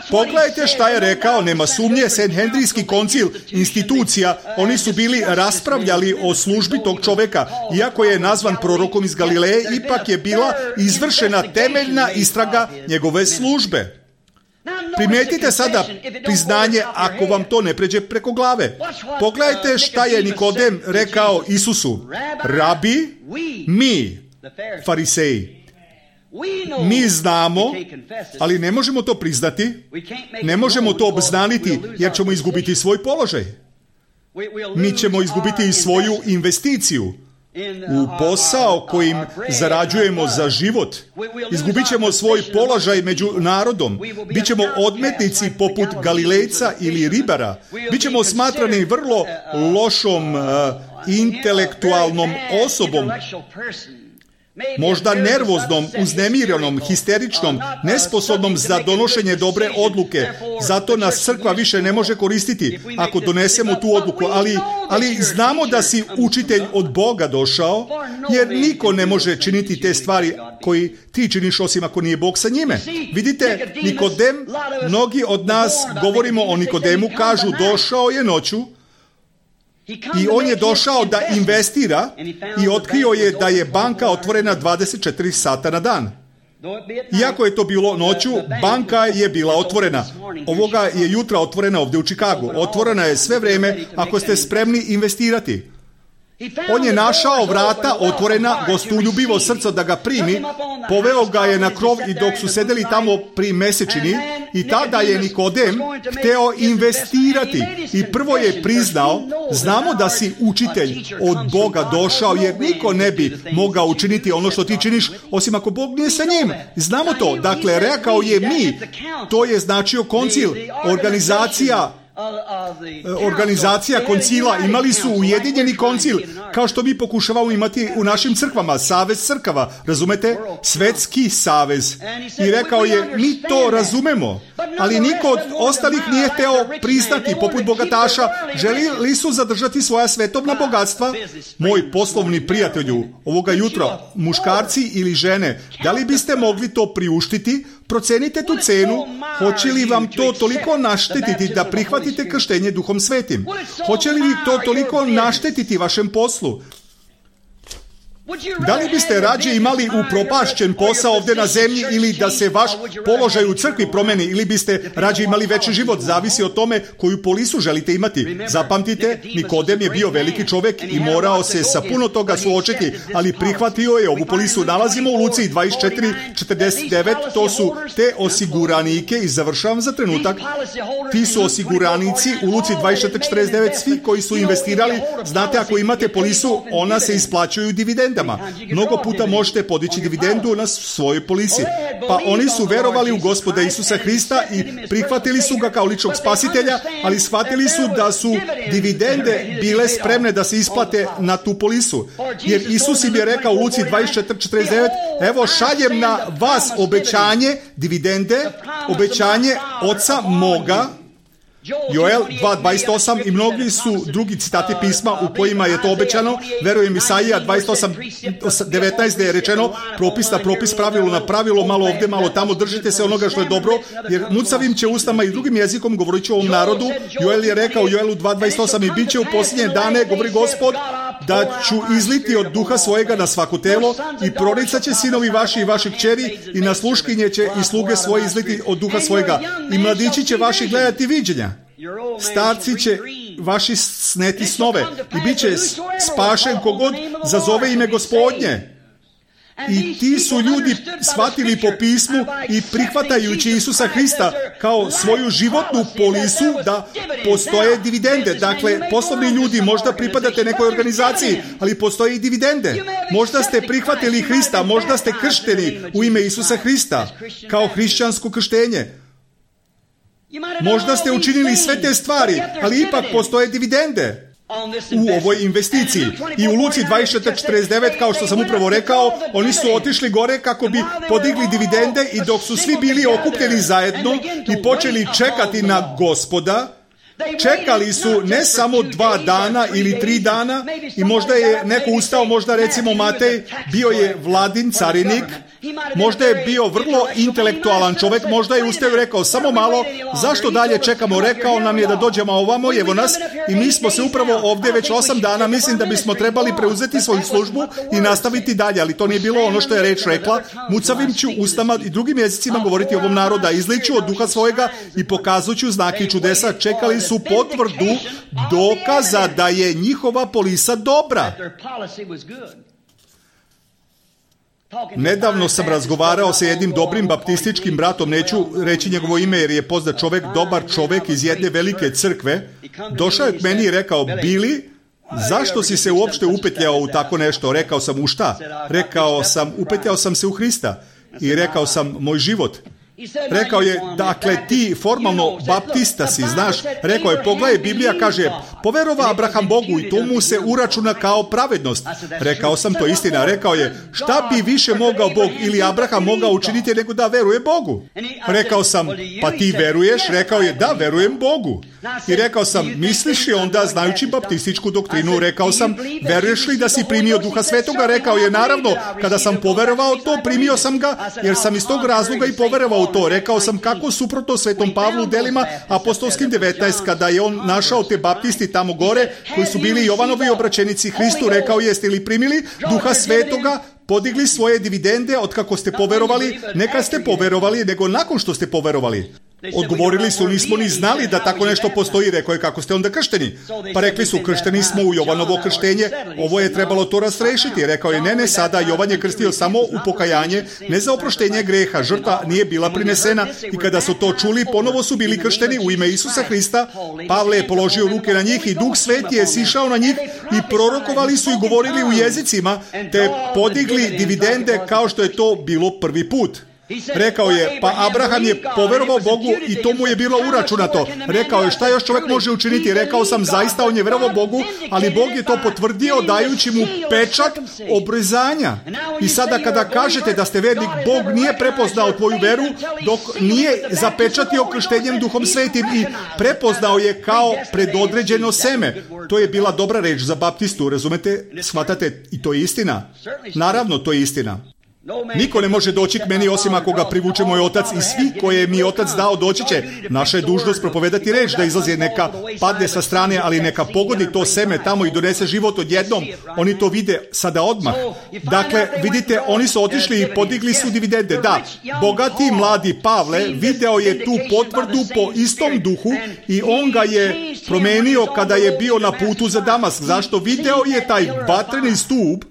Pogledajte šta je rekao, nema sumnje, Sanhedrijski koncil, institucija, oni su bili raspravljali o službi tog čovjeka. Iako je nazvan prorokom iz Galileje, ipak je bila izvršena temeljna istraga njegove službe. Primijetite sada priznanje ako vam to ne pređe preko glave. Pogledajte šta je Nikodem rekao Isusu. Rabi, mi, Fariseji, mi znamo, ali ne možemo to priznati, ne možemo to obznaniti jer ćemo izgubiti svoj položaj. Mi ćemo izgubiti i svoju investiciju u posao kojim zarađujemo za život. Izgubit ćemo svoj položaj među narodom. Bićemo odmetnici poput Galilejca ili ribara. Bićemo smatrani vrlo lošom uh, intelektualnom osobom, možda nervoznom, uznemirenom, histeričnom, nesposobnom za donošenje dobre odluke. Zato nas crkva više ne može koristiti ako donesemo tu odluku. Ali, ali znamo da si učitelj od Boga došao, jer niko ne može činiti te stvari koji ti činiš osim ako nije Bog sa njime. Vidite, Nikodem, mnogi od nas govorimo o Nikodemu, kažu došao je noću, i on je došao da investira i otkrio je da je banka otvorena dvadeset četiri sata na dan. Iako je to bilo noću, banka je bila otvorena. Ovoga je jutra otvorena ovdje u Čikagu. Otvorena je sve vrijeme ako ste spremni investirati. On je našao vrata otvorena, gostoljubivo srce da ga primi, poveo ga je na krov i dok su sedeli tamo pri mesečini, i tada je Nikodem hteo investirati i prvo je priznao, znamo da si učitelj od Boga došao, jer niko ne bi mogao učiniti ono što ti činiš osim ako Bog nije sa njim. Znamo to. Dakle, rekao je mi, to je značio koncil, organizacija organizacija koncila, imali su ujedinjeni koncil, kao što mi pokušavamo imati u našim crkvama, savez crkava, razumete? Svetski savez. I rekao je, mi to razumemo, ali niko od ostalih nije hteo priznati, poput bogataša, želili su zadržati svoja svetovna bogatstva. Moj poslovni prijatelju, ovoga jutra, muškarci ili žene, da li biste mogli to priuštiti? Procenite tu cenu, hoće li vam to toliko naštetiti da prihvatite krštenje Duhom Svetim? Hoće li to toliko naštetiti vašem poslu? Da li biste rađe imali upropašćen posao ovdje na zemlji ili da se vaš položaj u crkvi promeni, ili biste rađe imali veći život? Zavisi o tome koju polisu želite imati. Zapamtite, Nikodem je bio veliki čovjek i morao se sa puno toga suočiti, ali prihvatio je ovu polisu. Nalazimo u Luci dvadeset četiri četrdeset devet, to su te osiguranike, i završavam za trenutak, ti su osiguranici u Luci dvadeset četiri četrdeset devet, svi koji su investirali, znate, ako imate polisu, ona se isplaćuju dividenda. Mnogo puta možete podići dividendu na svojoj polisi. Pa oni su verovali u Gospoda Isusa Hrista i prihvatili su ga kao ličnog spasitelja, ali shvatili su da su dividende bile spremne da se isplate na tu polisu. Jer Isus im je rekao u Luci dvadeset četiri četrdeset devet, evo šaljem na vas obećanje, dividende, obećanje Oca moga, Joel dva dvadeset osam i mnogi su drugi citati pisma u kojima je to obećano. Verujem Isaija dvadeset osam devetnaest gdje je rečeno propis na propis, pravilo na pravilo, malo ovdje, malo tamo, držite se onoga što je dobro, jer mucavim će ustama i drugim jezikom govorit će ovom narodu. Joel je rekao u Joelu dva dvadeset osam i bit će u posljednje dane, govori Gospod, da ću izliti od duha svojega na svako telo i proricat će sinovi vaši i vaši kćeri i na sluškinje će i sluge svoje izliti od duha svojega i mladići će vaši gledati viđenja. Starci će vaši sneti snove i bit će spašen kogod zazove ime Gospodnje. I ti su ljudi shvatili po pismu i prihvatajući Isusa Hrista kao svoju životnu polisu da postoje dividende. Dakle, poslovni ljudi, možda pripadate nekoj organizaciji, ali postoje i dividende. Možda ste prihvatili Hrista, možda ste kršteni u ime Isusa Hrista kao hrišćansko krštenje. Možda ste učinili sve te stvari, ali ipak postoje dividende u ovoj investiciji. I u Luci dvadeset četiri četrdeset devet, kao što sam upravo rekao, oni su otišli gore kako bi podigli dividende i dok su svi bili okupljeni zajedno i počeli čekati na Gospoda, čekali su ne samo dva dana ili tri dana i možda je neko ustao, možda recimo Matej, bio je vladin carinik, možda je bio vrlo intelektualan čovjek, možda je ustao i rekao samo malo, zašto dalje čekamo, rekao nam je da dođemo ovamo, evo nas i mi smo se upravo ovdje već osam dana, mislim da bismo trebali preuzeti svoju službu i nastaviti dalje, ali to nije bilo ono što je reč rekla, mucavim ću ustama i drugim jezicima govoriti ovom naroda, izliću od duha svojega i pokazuću znake i čudesa, čekali su potvrdu dokaza da je njihova polisa dobra. Nedavno sam razgovarao sa jednim dobrim baptističkim bratom, neću reći njegovo ime jer je poznat čovjek, dobar čovjek iz jedne velike crkve. Došao je k meni i rekao, Billy, zašto si se uopšte upetljao u tako nešto? Rekao sam, u šta? Rekao sam, upetljao sam se u Hrista. I rekao sam, moj život. Rekao je, dakle, ti formalno baptista si, znaš, rekao je, pogledaj, Biblija kaže, poverova Abraham Bogu i to mu se uračuna kao pravednost. Rekao sam, to istina. Rekao je, šta bi više mogao Bog ili Abraham mogao učiniti nego da veruje Bogu? Rekao sam, pa ti veruješ? Rekao je, da, verujem Bogu. I rekao sam, misliš li onda, znajući baptističku doktrinu, rekao sam, veruješ li da si primio Duha Svetoga? Rekao je, naravno, kada sam poverovao to, primio sam ga, jer sam iz tog razloga i poverovao to. Rekao sam kako suprotno Svetom Pavlu u delima apostolskim devetnaest, kada je on našao te baptisti tamo gore, koji su bili Jovanovi obraćenici Hristu, rekao, jeste li primili Duha Svetoga, podigli svoje dividende od kako ste poverovali, neka ste poverovali, nego nakon što ste poverovali. Odgovorili su, nismo ni znali da tako nešto postoji. Rekao je, kako ste onda kršteni? Pa rekli su, kršteni smo u Jovanovo krštenje, ovo je trebalo to rastrešiti. Rekao je, ne, ne, sada Jovan je krstio samo u pokajanje, ne za oproštenje greha, žrtva nije bila prinesena i kada su to čuli, ponovo su bili kršteni u ime Isusa Hrista. Pavle je položio ruke na njih i Duh Sveti je sišao na njih i prorokovali su i govorili u jezicima, te podigli dividende kao što je to bilo prvi put. Rekao je, pa Abraham je poverovao Bogu i to mu je bilo uračunato. Rekao je, šta još čovjek može učiniti? Rekao sam, zaista on je verovao Bogu, ali Bog je to potvrdio dajući mu pečat obrezanja. I sada kada kažete da ste vernik, Bog nije prepoznao tvoju veru dok nije zapečatio krštenjem Duhom Svetim i prepoznao je kao predodređeno seme. To je bila dobra reč za baptistu, razumete? Shvatate? I to je istina. Naravno, to je istina. Niko ne može doći k meni osim ako ga privuče moj otac i svi koje mi otac dao doći će. Naša je dužnost propovedati reč da izlazi, neka padne sa strane, ali neka pogodi to seme tamo i donese život odjednom. Oni to vide sada odmah. Dakle, vidite, oni su otišli i podigli su dividende. Da, bogati mladi Pavle video je tu potvrdu po istom duhu i on ga je promenio kada je bio na putu za Damask. Zašto? Video je taj vatreni stup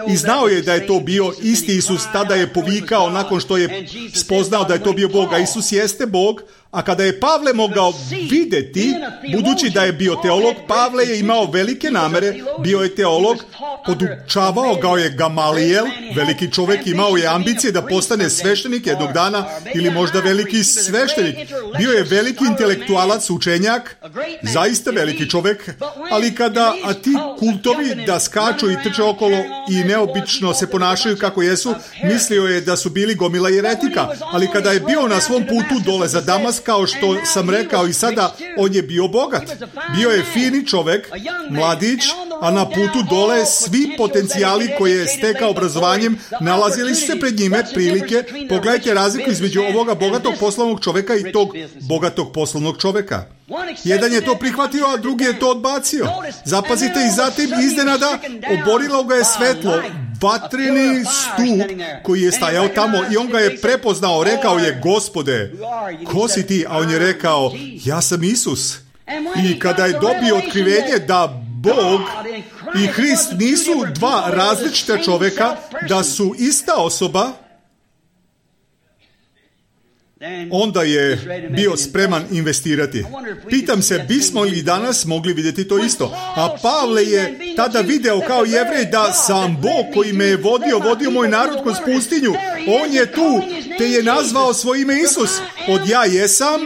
i znao je da je to bio isti Isus. Tada je povikao nakon što je spoznao da je to bio Bog, a Isus jeste Bog. A kada je Pavle mogao vidjeti, budući da je bio teolog, Pavle je imao velike namere, bio je teolog, podučavao ga je Gamalijel, veliki čovjek, imao je ambicije da postane sveštenik jednog dana ili možda veliki sveštenik. Bio je veliki intelektualac, učenjak, zaista veliki čovjek, ali kada a ti kultovi da skaču i trče okolo i neobično se ponašaju kako jesu, mislio je da su bili gomila jeretika, ali kada je bio na svom putu dole za Damask, nažalost, kao što sam rekao i sada, on je bio bogat. Bio je fini čovek, mladić, a na putu dole svi potencijali koje je stekao obrazovanjem nalazili su se pred njime prilike. Pogledajte razliku između ovoga bogatog poslovnog čoveka i tog bogatog poslovnog čoveka. Jedan je to prihvatio, a drugi je to odbacio. Zapazite, i zatim iznenada oborilo ga je svetlo, vatreni stup koji je stajao tamo, i on ga je prepoznao, rekao je: Gospode, ko si ti? A on je rekao: ja sam Isus. I kada je dobio otkrivenje da Bog i Hrist nisu dva različita čoveka, da su ista osoba, onda je bio spreman investirati. Pitam se, bismo li danas mogli vidjeti to isto? A Pavle je tada video kao Jevrej da sam Bog koji me je vodio, vodio moj narod kroz pustinju. On je tu, te je nazvao svoje ime Isus. Od ja jesam,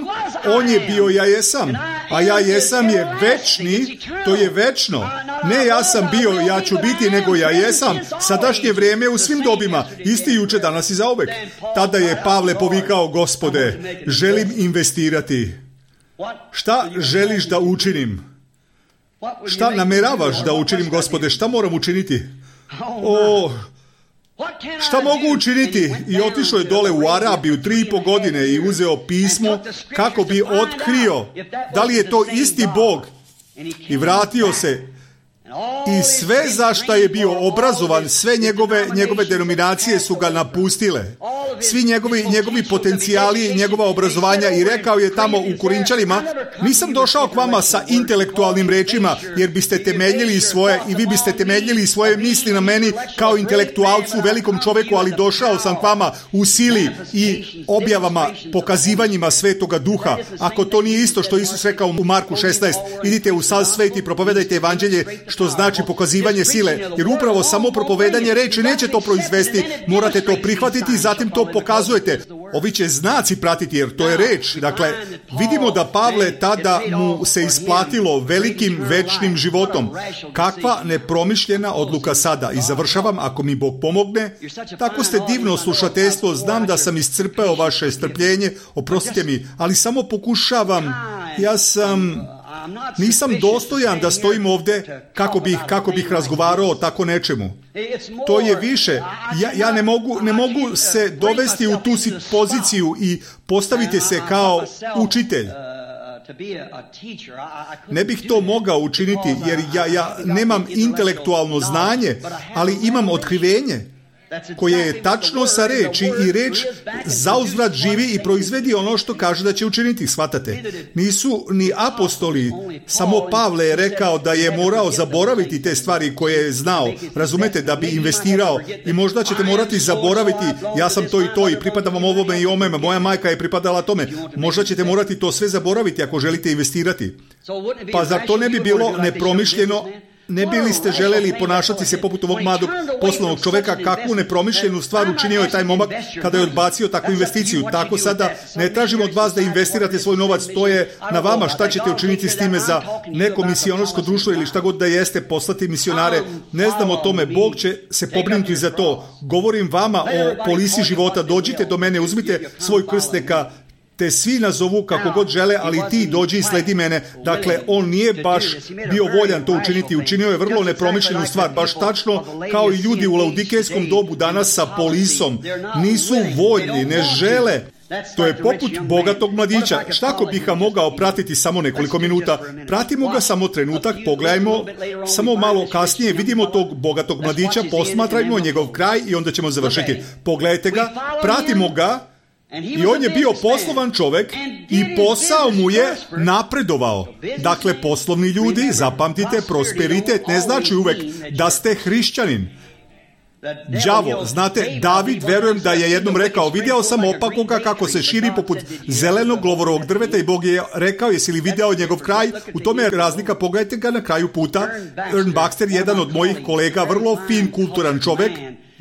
on je bio ja jesam. A ja jesam je večni, to je večno. Ne ja sam bio, ja ću biti, nego ja jesam. Sadašnje vrijeme u svim dobima, isti juče, danas i zauvek. Tada je Pavle povikao: Gospode, želim investirati. Šta želiš da učinim? Šta nameravaš da učinim, Gospode? Šta moram učiniti? O, šta mogu učiniti? I otišao je dole u Arabiju tri i po godine i uzeo pismo kako bi otkrio da li je to isti Bog. I vratio se. I sve za šta je bio obrazovan, sve njegove, njegove denominacije su ga napustile. Svi njegovi, njegovi potencijali, njegova obrazovanja, i rekao je tamo u Korinčanima: nisam došao k vama sa intelektualnim rečima, jer biste temeljili svoje, i vi biste temeljili svoje misli na meni kao intelektualcu, velikom čoveku, ali došao sam k vama u sili i objavama, pokazivanjima Svetoga Duha. Ako to nije isto što Isus rekao u Marku šesnaest, idite u sav svet i propovedajte evanđelje, što znači pokazivanje sile, jer upravo samo propovedanje reči neće to proizvesti, morate to prihvatiti i zatim to pokazujete. Ovi će znaci pratiti, jer to je reč. Dakle, vidimo da Pavle tada mu se isplatilo velikim večnim životom. Kakva nepromišljena odluka sada. I završavam, ako mi Bog pomogne. Tako ste divno slušateljstvo, znam da sam iscrpeo vaše strpljenje, oprostite mi, ali samo pokušavam. Ja sam... Nisam dostojan da stojim ovdje kako bih, kako bih razgovarao o tako nečemu. To je više. Ja, ja ne mogu, ne mogu se dovesti u tu poziciju i postaviti se kao učitelj. Ne bih to mogao učiniti, jer ja, ja nemam intelektualno znanje, ali imam otkrivenje koje je tačno sa reči, i reč zauzvrat živi i proizvedi ono što kaže da će učiniti. Shvatate? Nisu ni apostoli, samo Pavle je rekao da je morao zaboraviti te stvari koje je znao. Razumete, da bi investirao, i možda ćete morati zaboraviti: ja sam to i to i pripadam vam ovome i omeme, moja majka je pripadala tome. Možda ćete morati to sve zaboraviti ako želite investirati. Pa zar to ne bi bilo nepromišljeno? Ne bi li ste želeli ponašati se poput ovog mladog poslovnog čoveka? Kakvu nepromišljenu stvar učinio je taj momak kada je odbacio takvu investiciju. Tako sada ne tražimo od vas da investirate svoj novac, to je na vama. Šta ćete učiniti s time za neko misionorsko društvo ili šta god da jeste, poslati misionare? Ne znam o tome, Bog će se pobrinuti za to. Govorim vama o polisi života. Dođite do mene, uzmite svoj krst, neka te svi nazovu kako god žele, ali ti dođi i sledi mene. Dakle, on nije baš bio voljan to učiniti. Učinio je vrlo nepromišljenu stvar, baš tačno kao i ljudi u laudikejskom dobu danas sa polisom. Nisu voljni, ne žele. To je poput bogatog mladića. Šta ako bih ga mogao pratiti samo nekoliko minuta? Pratimo ga samo trenutak, pogledajmo samo malo kasnije, vidimo tog bogatog mladića, posmatrajmo njegov kraj i onda ćemo završiti. Pogledajte ga, pratimo ga. I on je bio poslovan čovjek i posao mu je napredovao. Dakle, poslovni ljudi, zapamtite, prosperitet ne znači uvek da ste hrišćanin. Đavo, znate, David, verujem da je jednom rekao: vidio sam opakoga kako se širi poput zelenog glovorovog drveta, i Bog je rekao: jesi li video njegov kraj? U tome je razlika, pogledajte ga na kraju puta. Ern Baxter, jedan od mojih kolega, vrlo fin, kulturan čovjek,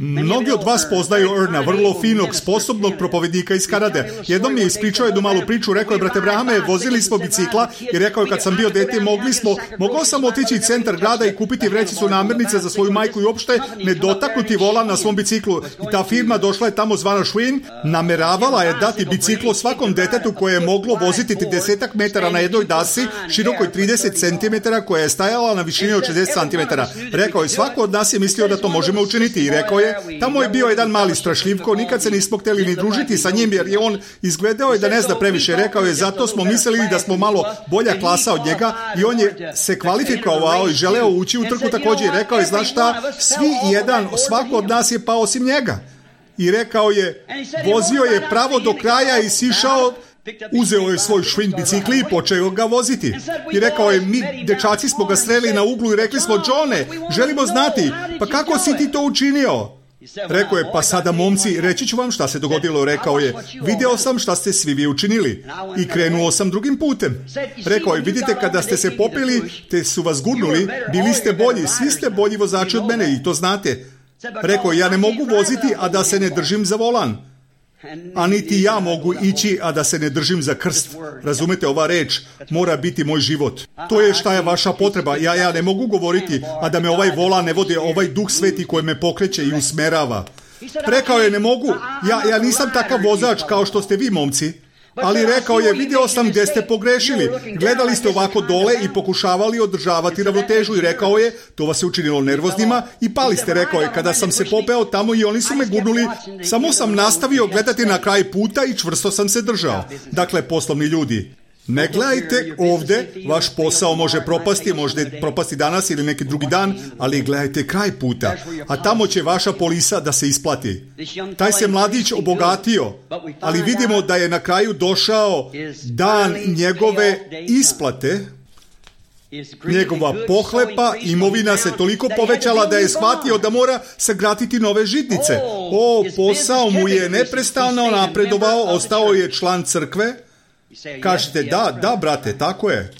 Mnogi od vas poznaju Erna, vrlo finog, sposobnog propovednika iz Kanade. Jednom mi je ispričao jednu malu priču, rekao je, brate Brahame, vozili smo bicikla i rekao je, kad sam bio dete, mogli smo, mogao sam otići u centar grada i kupiti vrećicu namirnice za svoju majku i uopšte ne dotaknuti volan na svom biciklu. I ta firma došla je tamo zvana Schwinn, nameravala je dati biciklo svakom detetu koje je moglo voziti trideset metara na jednoj dasi, širokoj trideset centimetara, koja je stajala na višini od šezdeset centimetara. Rekao je, svako od nas je mislio da to možemo učiniti i rekao je, tamo je bio jedan mali strašljivko, nikad se nismo htjeli ni družiti sa njim jer je on izgledao je da ne zna previše. Rekao je, zato smo mislili da smo malo bolja klasa od njega i on je se kvalifikovao i želeo ući u trku također i rekao je, znaš šta, svi jedan, svako od nas je pao osim njega. I rekao je, vozio je pravo do kraja i sišao, uzeo je svoj Schwinn bicikli i počeo ga voziti. I rekao je, mi dečaci smo ga sreli na uglu i rekli smo, Johne, želimo znati, pa kako si ti to učinio? Rekao je, pa sada momci, reći ću vam šta se dogodilo. Rekao je, video sam šta ste svi vi učinili i krenuo sam drugim putem. Rekao je, vidite, kada ste se popili, te su vas gurnuli, bili ste bolji, svi ste bolji vozači od mene i to znate. Rekao je, ja ne mogu voziti, a da se ne držim za volan. A niti ja mogu ići, a da se ne držim za krst. Razumete, ova reč mora biti moj život. To je šta je vaša potreba. Ja, ja ne mogu govoriti, a da me ovaj volan ne vodi, ovaj Duh Sveti koji me pokreće i usmerava. Rekao je, ne mogu, ja, ja nisam takav vozač kao što ste vi, momci. Ali rekao je, video sam gdje ste pogrešili. Gledali ste ovako dole i pokušavali održavati ravnotežu i rekao je, to vas je učinilo nervoznima i pali ste. Rekao je, kada sam se popeo tamo i oni su me gurnuli, samo sam nastavio gledati na kraj puta i čvrsto sam se držao. Dakle, poslovni ljudi, ne gledajte ovdje, vaš posao može propasti, može propasti danas ili neki drugi dan, ali gledajte kraj puta, a tamo će vaša polisa da se isplati. Taj se mladić obogatio, ali vidimo da je na kraju došao dan njegove isplate, njegova pohlepa, imovina se toliko povećala da je shvatio da mora sagraditi nove žitnice. O, posao mu je neprestano napredovao, ostao je član crkve. Kažete, da, da, brate, tako je.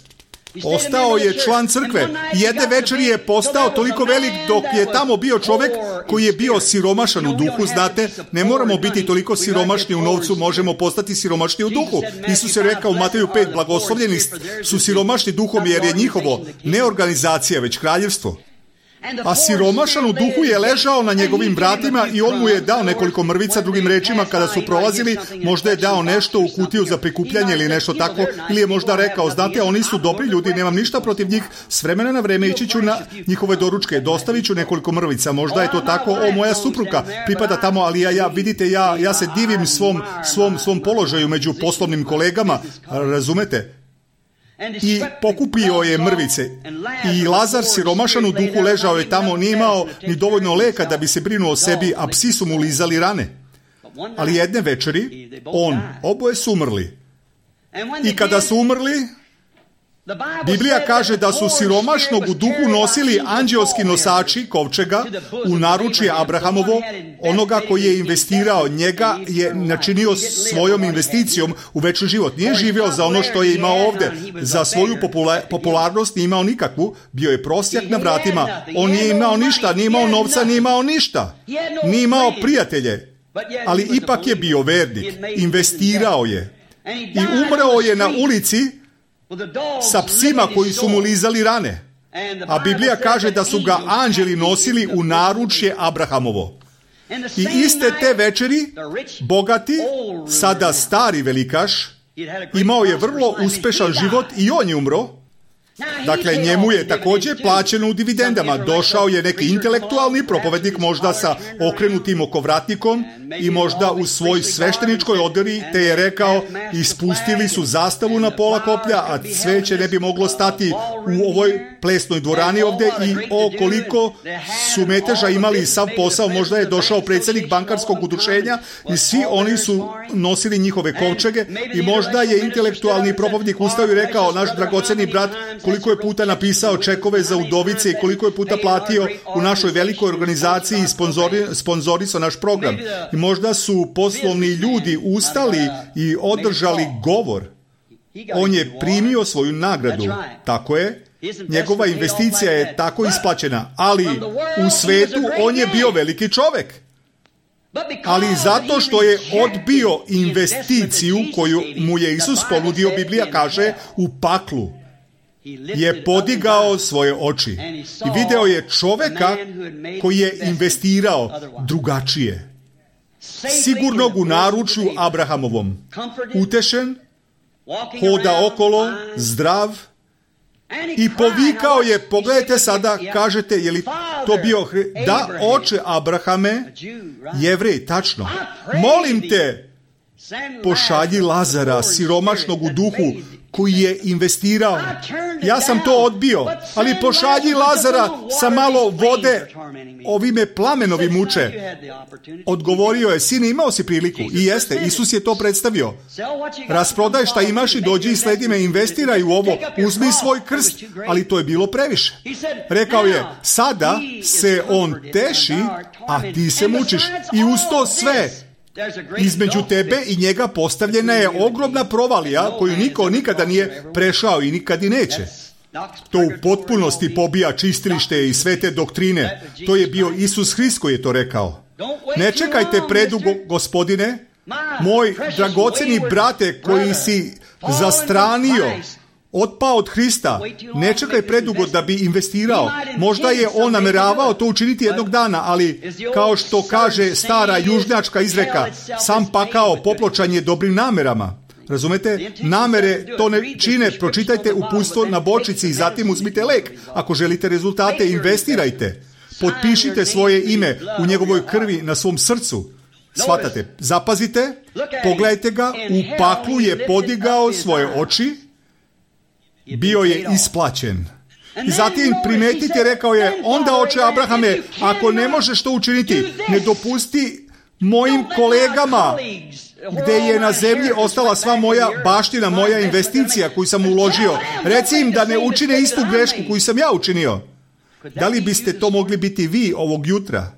Ostao je član crkve. Jedne večeri je postao toliko velik dok je tamo bio čovjek koji je bio siromašan u duhu. Znate, ne moramo biti toliko siromašni u novcu, možemo postati siromašni u duhu. Isus je rekao u Mateju pet, blagoslovljeni su siromašni duhom jer je njihovo ne organizacija, već kraljevstvo. A siromašan u duhu je ležao na njegovim vratima i on mu je dao nekoliko mrvica, drugim rečima, kada su prolazili, možda je dao nešto u kutiju za prikupljanje ili nešto tako, ili je možda rekao, znate, oni su dobri ljudi, nemam ništa protiv njih, s vremena na vreme ići ću na njihove doručke, dostavit ću nekoliko mrvica, možda je to tako, o, moja supruga pripada tamo, ali ja, ja vidite, ja, ja se divim svom, svom, svom položaju među poslovnim kolegama, razumete? I pokupio je mrvice. I Lazar, siromašan u duhu, ležao je tamo, nije imao ni dovoljno leka da bi se brinuo o sebi, a psi su mu lizali rane. Ali jedne večeri, on, oboje su umrli. I kada su umrli, Biblija kaže da su siromašnog u duhu nosili anđeoski nosači kovčega u naručje Abrahamovo, onoga koji je investirao, njega je načinio svojom investicijom u večni život. Nije živio za ono što je imao ovdje, za svoju popula- popularnost nije imao nikakvu, bio je prosjak na vratima, on nije imao ništa, nije imao novca, nije imao ništa, nije imao prijatelje, ali ipak je bio vernik, investirao je i umreo je na ulici sa psima koji su mu lizali rane. A Biblija kaže da su ga anđeli nosili u naručje Abrahamovo. I iste te večeri, bogati, sada stari velikaš, imao je vrlo uspešan život i on je umro. Dakle, njemu je također plaćeno u dividendama. Došao je neki intelektualni propovednik, možda sa okrenutim okovratnikom i možda u svoj svešteničkoj odori, te je rekao, ispustili su zastavu na pola koplja, a cveće ne bi moglo stati u ovoj plesnoj dvorani ovdje i o koliko su meteža imali sav posao. Možda je došao predsjednik bankarskog udruženja i svi oni su nosili njihove kovčege i možda je intelektualni propovednik ustao i rekao, naš dragoceni brat koliko je puta napisao čekove za udovice i koliko je puta platio u našoj velikoj organizaciji i sponzori, sponzorisao naš program. I možda su poslovni ljudi ustali i održali govor. On je primio svoju nagradu. Tako je. Njegova investicija je tako isplaćena. Ali u svetu on je bio veliki čovjek. ali zato što je odbio investiciju koju mu je Isus ponudio, Biblija kaže, u paklu, je podigao svoje oči i video je čoveka koji je investirao drugačije. Sigurnog u naručju Abrahamovom, utešen, hoda okolo, zdrav, i povikao je, pogledajte sada, kažete, je li to bio, da, oče Abrahame, Jevrej, tačno, molim te, pošalji Lazara, siromašnog u duhu, koji je investirao. Ja sam to odbio, ali pošalji Lazara sa malo vode, ovi me plamenovi muče. Odgovorio je, sine, imao si priliku. I jeste, Isus je to predstavio. Rasprodaj šta imaš i dođi i sledi me, investiraj u ovo, uzmi svoj krst, ali to je bilo previše. Rekao je, sada se on teši, a ti se mučiš. I uz to sve, između tebe i njega postavljena je ogromna provalija koju niko nikada nije prešao i nikad i neće. To u potpunosti pobija čistilište i sve te doktrine. To je bio Isus Hrist koji je to rekao. Ne čekajte predugo, gospodine, moj dragoceni brate koji si zastranio, otpao od Hrista, ne čekaj predugo da bi investirao. Možda je on nameravao to učiniti jednog dana, ali kao što kaže stara južnjačka izreka, sam pakao popločanje dobrim namerama. Razumete? Namere to ne čine. Pročitajte uputstvo na bočici i zatim uzmite lek. Ako želite rezultate, investirajte. Potpišite svoje ime u njegovoj krvi na svom srcu. Shvatate? Zapazite, pogledajte ga, u paklu je podigao svoje oči, bio je isplaćen. I zatim primetite, rekao je, onda oče Abrahame, ako ne možeš to učiniti, ne dopusti mojim kolegama, gde je na zemlji ostala sva moja baština, moja investicija koju sam uložio. Reci im da ne učine istu grešku koju sam ja učinio. Da li biste to mogli biti vi ovog jutra?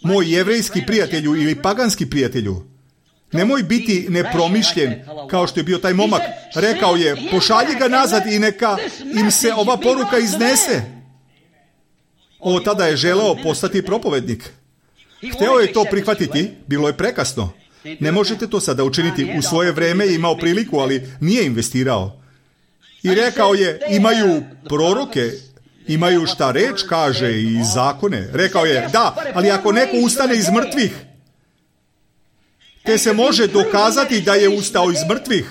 Moj jevrejski prijatelju ili paganski prijatelju? Nemoj biti nepromišljen kao što je bio taj momak. Rekao je, pošalji ga nazad i neka im se ova poruka iznese. O, tada je želeo postati propovednik. Hteo je to prihvatiti, bilo je prekasno. Ne možete to sada učiniti. U svoje vreme je imao priliku, ali nije investirao. I rekao je, imaju proroke, imaju šta reč kaže i zakone. Rekao je, da, ali ako neko ustane iz mrtvih, te se može dokazati da je ustao iz mrtvih,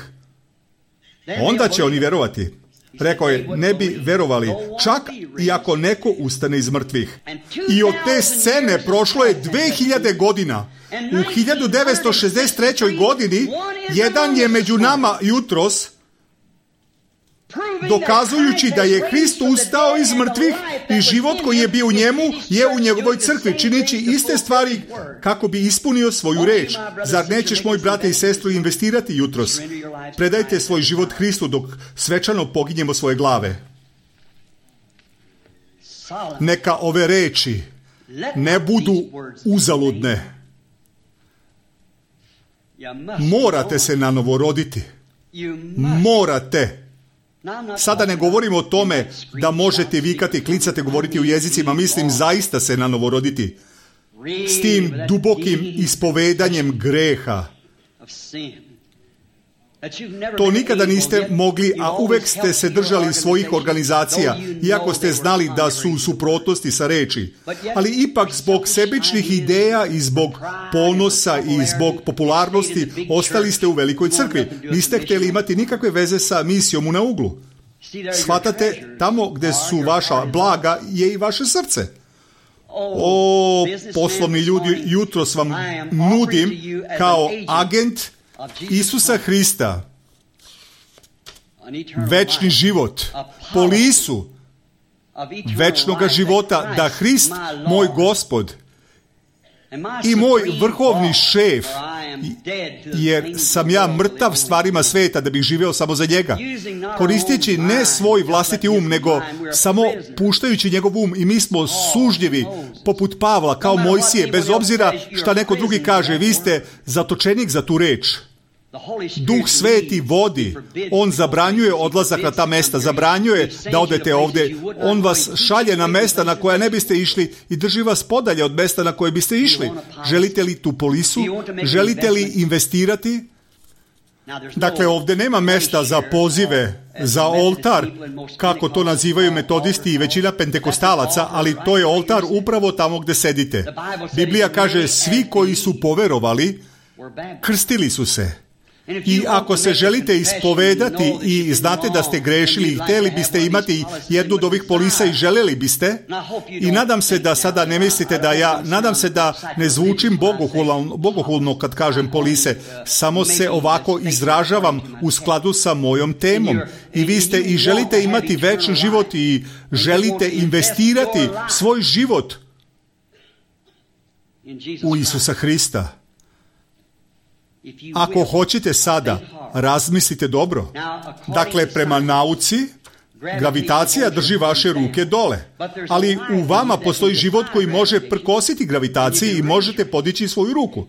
onda će oni verovati. Rekao je, ne bi verovali, čak i ako neko ustane iz mrtvih. I od te scene prošlo je dve hiljade godina. U hiljadu devetsto šezdeset trećoj. godini jedan je među nama jutros, dokazujući da je Hrist ustao iz mrtvih i život koji je bio u njemu je u njegovoj crkvi, čineći iste stvari kako bi ispunio svoju reč. Zar nećeš, moj brate i sestru, investirati jutros? Predajte svoj život Hristu dok svečano poginjemo svoje glave. Neka ove reči ne budu uzaludne. Morate se nanovo roditi. Morate. Sada ne govorimo o tome da možete vikati, klicati, govoriti u jezicima, mislim zaista se nanovo roditi. S tim dubokim ispovedanjem greha. To nikada niste mogli, a uvek ste se držali svojih organizacija, iako ste znali da su u suprotnosti sa reči. Ali ipak zbog sebičnih ideja i zbog ponosa i zbog popularnosti ostali ste u velikoj crkvi. Niste htjeli imati nikakve veze sa misijom u na uglu. Shvatate, tamo gde su vaša blaga je i vaše srce. O, poslovni ljudi, jutros vam nudim kao agent Isusa Hrista večni život, polisu večnoga života, da Hrist, moj Gospod i moj vrhovni šef, jer sam ja mrtav stvarima sveta da bih živeo samo za njega, koristeći ne svoj vlastiti um, nego samo puštajući njegov um, i mi smo sužljivi poput Pavla, kao Mojsije, bez obzira šta neko drugi kaže, vi ste zatočenik za tu reč. Duh Sveti vodi. On zabranjuje odlazak na ta mesta, zabranjuje da odete ovdje. On vas šalje na mesta na koja ne biste išli i drži vas podalje od mesta na koje biste išli. Želite li tu polisu? Želite li investirati? Dakle, ovdje nema mesta za pozive, za oltar, kako to nazivaju metodisti i većina pentekostalaca, ali to je oltar upravo tamo gdje sedite. Biblija kaže, svi koji su poverovali, krstili su se. I ako se želite ispovedati i znate da ste grešili i htjeli biste imati jednu od ovih polisa i željeli biste, i nadam se da sada ne mislite da ja, nadam se da ne zvučim bogohulno, bogohulno kad kažem polise, samo se ovako izražavam u skladu sa mojom temom. I vi ste i želite imati večni život i želite investirati svoj život u Isusa Hrista. Ako hoćete sada, razmislite dobro. Dakle, prema nauci, gravitacija drži vaše ruke dole. Ali u vama postoji život koji može prkositi gravitaciji i možete podići svoju ruku.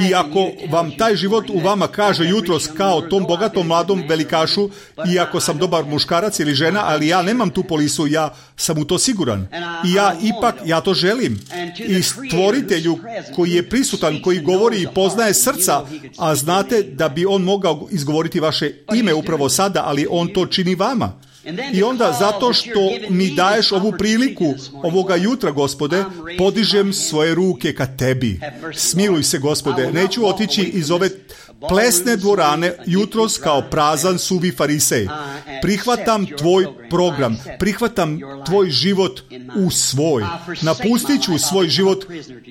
I ako vam taj život u vama kaže jutros kao tom bogatom mladom velikašu, iako sam dobar muškarac ili žena, ali ja nemam tu polisu, ja sam u to siguran. I ja ipak, ja to želim. I stvoritelju koji je prisutan, koji govori i poznaje srca, a znate da bi on mogao izgovoriti vaše ime upravo sada, ali on to čini vama. I onda, zato što mi daješ ovu priliku ovoga jutra, Gospode, podižem svoje ruke ka tebi. Smiluj se, Gospode, neću otići iz ove plesne dvorane jutros kao prazan suvi farisej. Prihvatam tvoj program, prihvatam tvoj život u svoj. Napustit ću svoj život,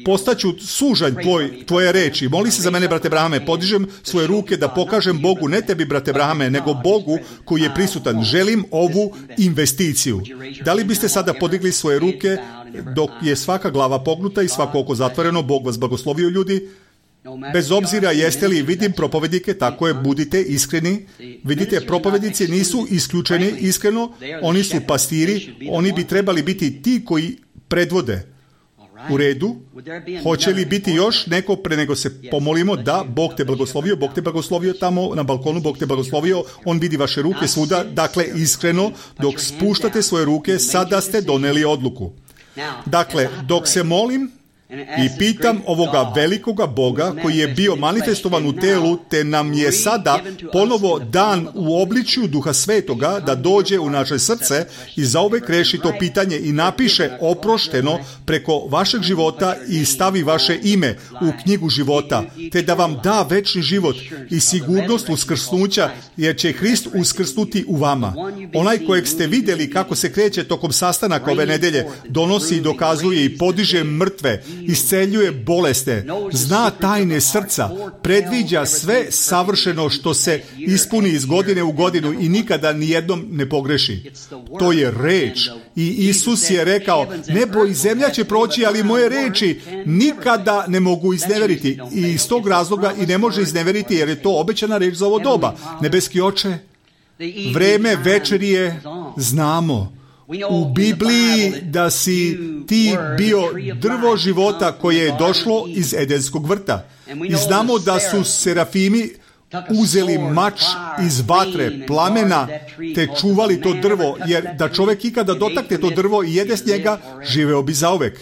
postaću sužanj tvoj, tvoje reči. Moli se za mene, brate Brahame, podižem svoje ruke da pokažem Bogu, ne tebi, brate Brahame, nego Bogu koji je prisutan. Želim ovu investiciju. Da li biste sada podigli svoje ruke dok je svaka glava pognuta i svako oko zatvoreno? Bog vas blagoslovio, ljudi. Bez obzira jeste li, vidim propovednike, tako je, budite iskreni. Vidite, propovednici nisu isključeni iskreno, oni su pastiri, oni bi trebali biti ti koji predvode. U redu, hoće li biti još neko pre nego se pomolimo? Da, Bog te blagoslovio, Bog te blagoslovio tamo na balkonu, Bog te blagoslovio, on vidi vaše ruke svuda, dakle iskreno, dok spuštate svoje ruke, sada ste doneli odluku. Dakle, dok se molim i pitam ovoga velikoga Boga koji je bio manifestovan u telu, te nam je sada ponovo dan u obličju Duha Svetoga da dođe u naše srce i zauvek reši to pitanje i napiše oprošteno preko vašeg života i stavi vaše ime u knjigu života, te da vam da večni život i sigurnost uskrsnuća, jer će Hrist uskrsnuti u vama. Onaj kojeg ste vidjeli kako se kreće tokom sastanaka ove nedelje, donosi i dokazuje i podiže mrtve, isceljuje bolesne, zna tajne srca, predviđa sve savršeno što se ispuni iz godine u godinu i nikada nijednom ne pogreši. To je reč. I Isus je rekao, nebo i zemlja će proći, ali moje reči nikada ne mogu izneveriti. I iz tog razloga i ne može izneveriti, jer je to obećana reč za ovo doba. Nebeski Oče, vreme večerije znamo. U Bibliji da si ti bio drvo života koje je došlo iz Edenskog vrta. I znamo da su serafimi uzeli mač iz vatre, plamena, te čuvali to drvo, jer da čovjek ikada dotakne to drvo i jede s njega, živeo bi zauvek.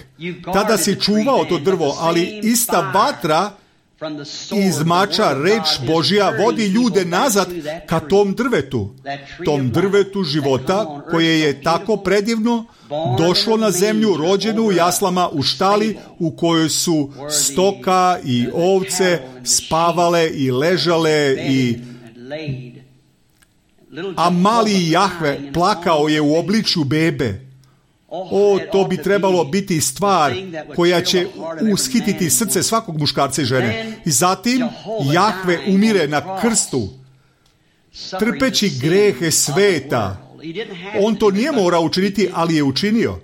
Tada si čuvao to drvo, ali ista vatra iz mača, reč Božja, vodi ljude nazad ka tom drvetu, tom drvetu života koje je tako predivno došlo na zemlju, rođeno u jaslama, u štali u kojoj su stoka i ovce spavale i ležale i a mali Jahve plakao je u obličju bebe. O, to bi trebalo biti stvar koja će ushititi srce svakog muškarca i žene. I zatim Jahve umire na krstu, trpeći grehe sveta. On to nije morao učiniti, ali je učinio.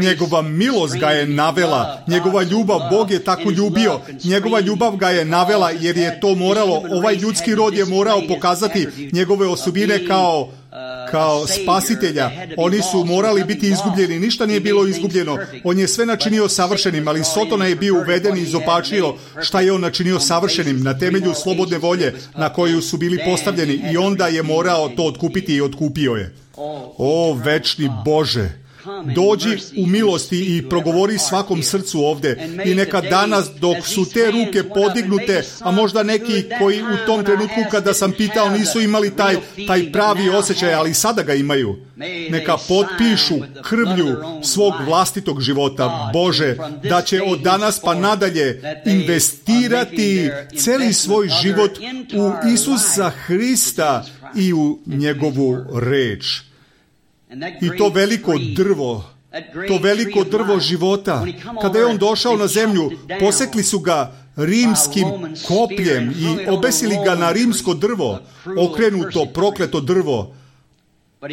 Njegova milost ga je navela, njegova ljubav, Bog je tako ljubio, njegova ljubav ga je navela jer je to moralo, ovaj ljudski rod je morao pokazati njegove osobine kao kao spasitelja. Oni su morali biti izgubljeni, ništa nije bilo izgubljeno. On je sve načinio savršenim, ali Sotona je bio uveden i izopačio šta je on načinio savršenim na temelju slobodne volje na koju su bili postavljeni i onda je morao to otkupiti i otkupio je. O večni Bože, dođi u milosti i progovori svakom srcu ovde i neka danas dok su te ruke podignute, a možda neki koji u tom trenutku kada sam pitao nisu imali taj, taj pravi osjećaj, ali sada ga imaju, neka potpišu krvlju svog vlastitog života, Bože, da će od danas pa nadalje investirati celi svoj život u Isusa Hrista i u njegovu reč. I to veliko drvo, to veliko drvo života, kada je on došao na zemlju, posekli su ga rimskim kopljem i obesili ga na rimsko drvo, okrenuto prokleto drvo,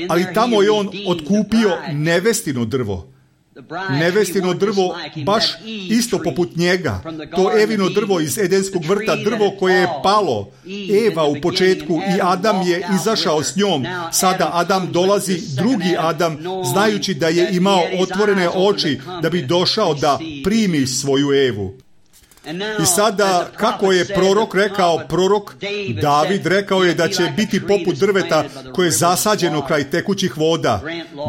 ali tamo je on otkupio nevestino drvo. Nevestino drvo, baš isto poput njega, to Evino drvo iz Edenskog vrta, drvo koje je palo. Eva u početku i Adam je izašao s njom. Sada Adam dolazi, drugi Adam, znajući da je imao otvorene oči da bi došao da primi svoju Evu. I sada, kako je prorok rekao, prorok David rekao je da će biti poput drveta koje je zasađeno kraj tekućih voda.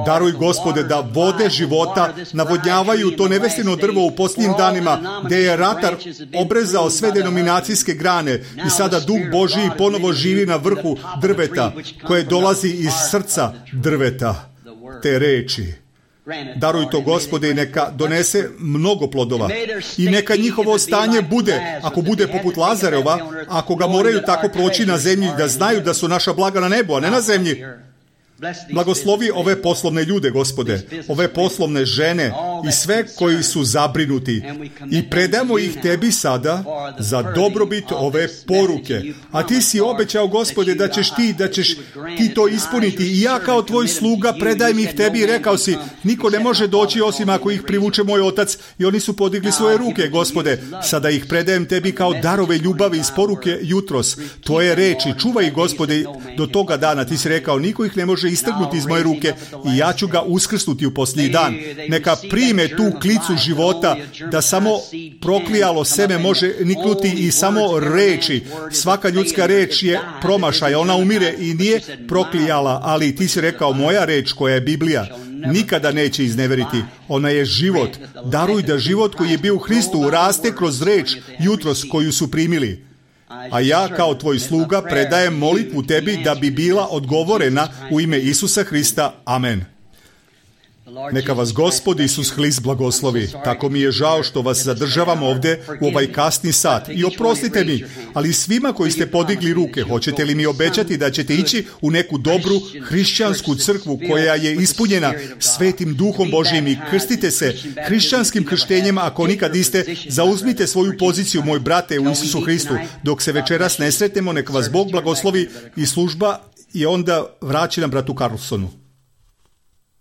Daruj, Gospode, da vode života navodnjavaju to nevestino drvo u posljednjim danima, gdje je ratar obrezao sve denominacijske grane i sada Duh Božiji ponovo živi na vrhu drveta, koje dolazi iz srca drveta, te reči. Daruj to, Gospode, i neka donese mnogo plodova. I neka njihovo stanje bude, ako bude poput Lazareva, ako ga moraju tako proći na zemlji, da znaju da su naša blaga na nebu, a ne na zemlji. Blagoslovi ove poslovne ljude, Gospode, ove poslovne žene i sve koji su zabrinuti i predamo ih Tebi sada za dobrobit ove poruke. A Ti si obećao, Gospode, da ćeš Ti, da ćeš Ti to ispuniti. I ja kao Tvoj sluga predajem ih Tebi i rekao si, niko ne može doći osim ako ih privuče moj Otac, i oni su podigli svoje ruke, Gospode. Sada ih predajem Tebi kao darove ljubavi iz poruke jutros. Tvoje reči, čuvaj ih, Gospode, do toga dana. Ti si rekao, niko ih ne može istrgnuti iz moje ruke i ja ću ga uskrsnuti u posljednji dan. Neka prime tu klicu života, da samo proklijalo seme može niknuti i samo reči. Svaka ljudska reč je promašaj, ona umire i nije proklijala, ali Ti si rekao, moja reč koja je Biblija nikada neće izneveriti. Ona je život. Daruj da život koji je bio u Hristu raste kroz reč jutros koju su primili. A ja kao Tvoj sluga predajem molitvu Tebi da bi bila odgovorena u ime Isusa Hrista. Amen. Neka vas Gospod Isus Hrist blagoslovi. Tako mi je žao što vas zadržavam ovdje u ovaj kasni sat. I oprostite mi, ali svima koji ste podigli ruke, hoćete li mi obećati da ćete ići u neku dobru hrišćansku crkvu koja je ispunjena Svetim Duhom Božijim i krstite se hrišćanskim krštenjem, ako nikad niste, zauzmite svoju poziciju, moj brate, u Isusu Hristu. Dok se večeras ne sretnemo, nek vas Bog blagoslovi i služba je onda vraćena bratu Carlsonu.